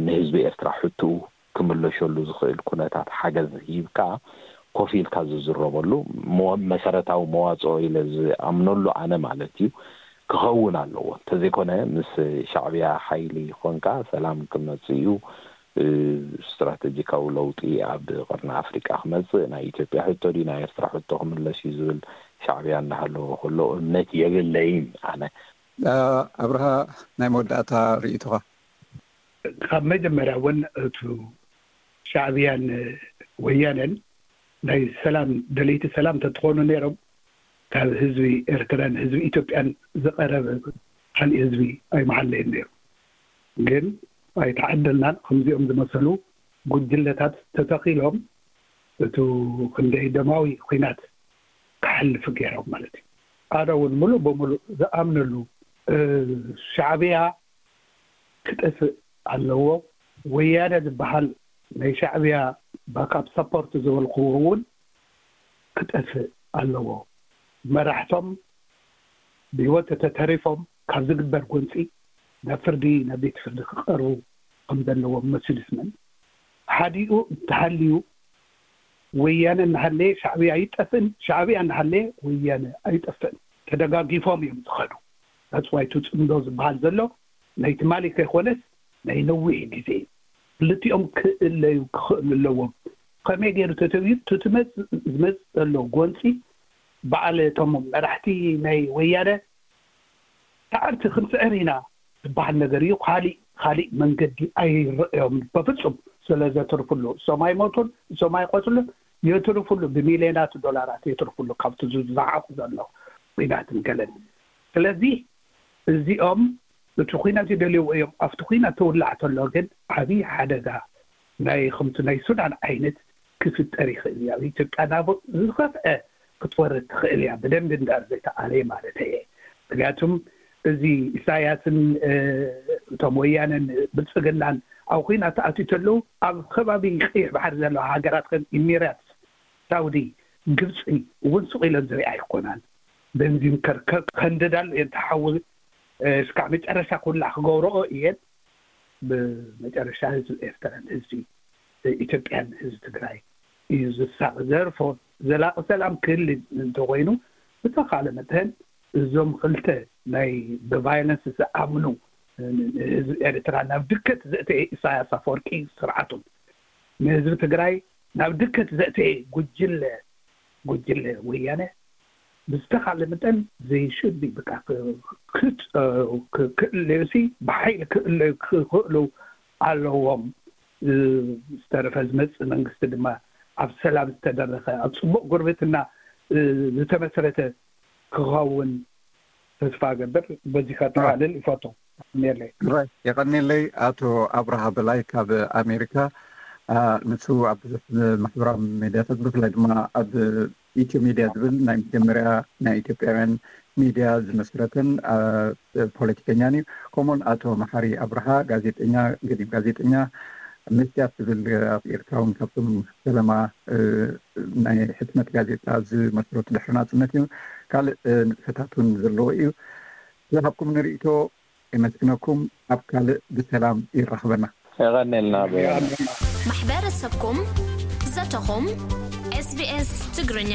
ንህዝቢ ኤርትራ ሕትኡ ክምለሸሉ ዝኽእል ኩነታት ሓገዝ ሂብካ ኮፍ ኢልካ ዝዝረበሉ መሰረታዊ መዋፅኦ ኢለ ዝኣምነሉ ኣነ ማለት እዩ ክኸውን ኣለዎ። እንተዘይኮነ ምስ ሻዕብያ ሓይሊ ኮንካ ሰላም ክመፅእ እዩ፣ ስትራተጂካዊ ለውጢ ኣብ ቀርኒ ኣፍሪቃ ክመፅእ፣ ናይ ኢትዮጵያ ሕቶ ድዩ ናይ ኤርትራ ሕቶ ክምለስ እዩ ዝብል ሻዕብያ እናሃለዎ ከሎ እምነት የብለይን ኣነ። ኣብርሃ፣ ናይ መወዳእታ ርእይቶኻ? ካብ መጀመርያ እውን እቱ ሻዕብያን ወያነን ናይ ሰላም ደለይቲ ሰላም ተትኾኑ ነይሮም ካብ ህዝቢ ኤርትራን ህዝቢ ኢትዮጵያን ዝቐረበ ካልእ ህዝቢ ኣይመሓለየን ነይሩ። ግን ኣይተዓደልናን። ከምዚኦም ዝመሰሉ ጉጅለታት ተተኺሎም እቱ ክንደይ ደማዊ ኹናት ክሓልፍ ገይሮም ማለት እዩ። ኣነ እውን ሙሉእ ብሙሉእ ዝኣምነሉ ሻዕብያ ክጠፍእ ኣለዎ። ወያነ ዝበሃል ናይ ሻዕብያ ባካፕ ሰፖርት ዝበልክዎ እውን ክጠፍእ ኣለዎ። መራሕቶም ብህይወት ተተሪፎም ካብ ዝግበር ጎንፂ ናብ ፍርዲ ናብ ቤት ፍርዲ ክቀርቡ ከም ዘለዎም መሲሉ ስምን ሓዲኡ እንተሃልዩ ወያነ እናሃለየ ሻዕብያ ኣይጠፍእን፣ ሻዕብያ እናሃለየ ወያነ ኣይጠፍእን። ተደጋጊፎም እዮም ዝኸዱ። ናፅዋይቱ ፅምዶ ዝበሃል ዘሎ ናይ ትማሊ ከይኮነስ ናይ ነዊሕ ግዜ እዩ። ክልቲኦም ክእለዩ ክኽእሉ ኣለዎም። ከመይ ገይሩ ተተብዩ ትመፅእ ዝመፅእ ዘሎ ጎንፂ በዓል እቶም መራሕቲ ናይ ወያነ ሰዓርቲ ክንስዕር ኢና ዝበሃል ነገር እዩ። ካሊእ ካሊእ መንገዲ ኣይረእዮም በፍፁም። ስለ ዘትርፍሉ እሶም ኣይሞቱን፣ እሶም ኣይቆስሉን፣ የትርፍሉ ብሚልዮናት ዶላራት የትርፍሉ ካብቲ ዝዛዓቑ ዘሎ ኲናትን ገለን። ስለዚ እዚኦም እቲ ኲናት ይደልይዎ እዮም። ኣብቲ ኲናት ተውላዕ ተሎ ግን ዓብዪ ሓደጋ ናይ ከምቲ ናይ ሱዳን ዓይነት ክፍጠር ይኽእል እዩ። ኣብ ኢትዮጵያ ናብ ዝኸፍአ ክትወርድ ትኽእል እያ፣ ብደንቢ እንዳር ዘይተኣለየ ማለት እየ። ምክንያቱም እዚ ኢሳያስን እቶም ወያነን ብልፅግናን ኣብ ኹናት ተኣትዩ ተለዉ ኣብ ከባቢ ቀይሕ ባሕሪ ዘለዋ ሃገራት ከም ኢሚራት፣ ሳውዲ፣ ግብፂ እውን ስቕ ኢለን ዝሪኣ ኣይኮናን። ቤንዚን ከርከር ከንደዳሉ እየን ተሓዊ እስካዕ መጨረሻ ኩላ ክገብረኦ እየን። ብመጨረሻ ህዝቢ ኤርትራን ህዝቢ ኢትዮጵያን ህዝቢ ትግራይ እዩ ዝሳቕ። ዘርፎ ዘላቂ ሰላም ክህል እንተኮይኑ ብተኻለ መጠን እዞም ክልተ ናይ ብቫይለንስ ዝኣምኑ ንህዝቢ ኤርትራ ናብ ድከት ዘእተየ ኢሳያስ ኣፈወርቂ ስርዓቱን ንህዝቢ ትግራይ ናብ ድከት ዘእተየ ጉጅለ ጉጅለ ወያነ ብዝተኻለ መጠን ዘይሽቢ በቃ ክእለዩሲ ብሓይሊ ክእለዩ ክኽእሉ ኣለዎም። ዝተረፈ ዝመፅእ መንግስቲ ድማ ኣብ ሰላም ዝተደረኸ ኣብ ፅቡቕ ጉርብትና ዝተመስረተ ክኸውን ተስፋ ገብር። በዚ ከጠቓልል ይፈቱ። የቀኔለይ የቀኔለይ። ኣቶ ኣብርሃ በላይ ካብ ኣሜሪካ፣ ንሱ ኣብ ብዙሕ ማሕበራዊ ሜድያታት ብፍላይ ድማ ኣብ ኢትዮ ሜድያ ዝብል ናይ መጀመርያ ናይ ኢትዮጵያውያን ሜድያ ዝመስረተን ፖለቲከኛን እዩ። ከምኡውን ኣቶ መሓሪ ኣብርሃ ጋዜጠኛ፣ ገዲም ጋዜጠኛ፣ መስትያት ዝብል ኣብ ኤርትራ እውን ካብቶም ፈለማ ናይ ሕትመት ጋዜጣ ዝመስረቱ ድሕሪ ናጽነት እዩ። ካልእ ንጥፈታት እውን ዘለዎ እዩ። ዝሃብኩም ንርእይቶ የመስግነኩም። ኣብ ካልእ ብሰላም ይራኽበና። የቐኔልና። ማሕበረሰብኩም ዘተኹም ኤስቢኤስ ትግርኛ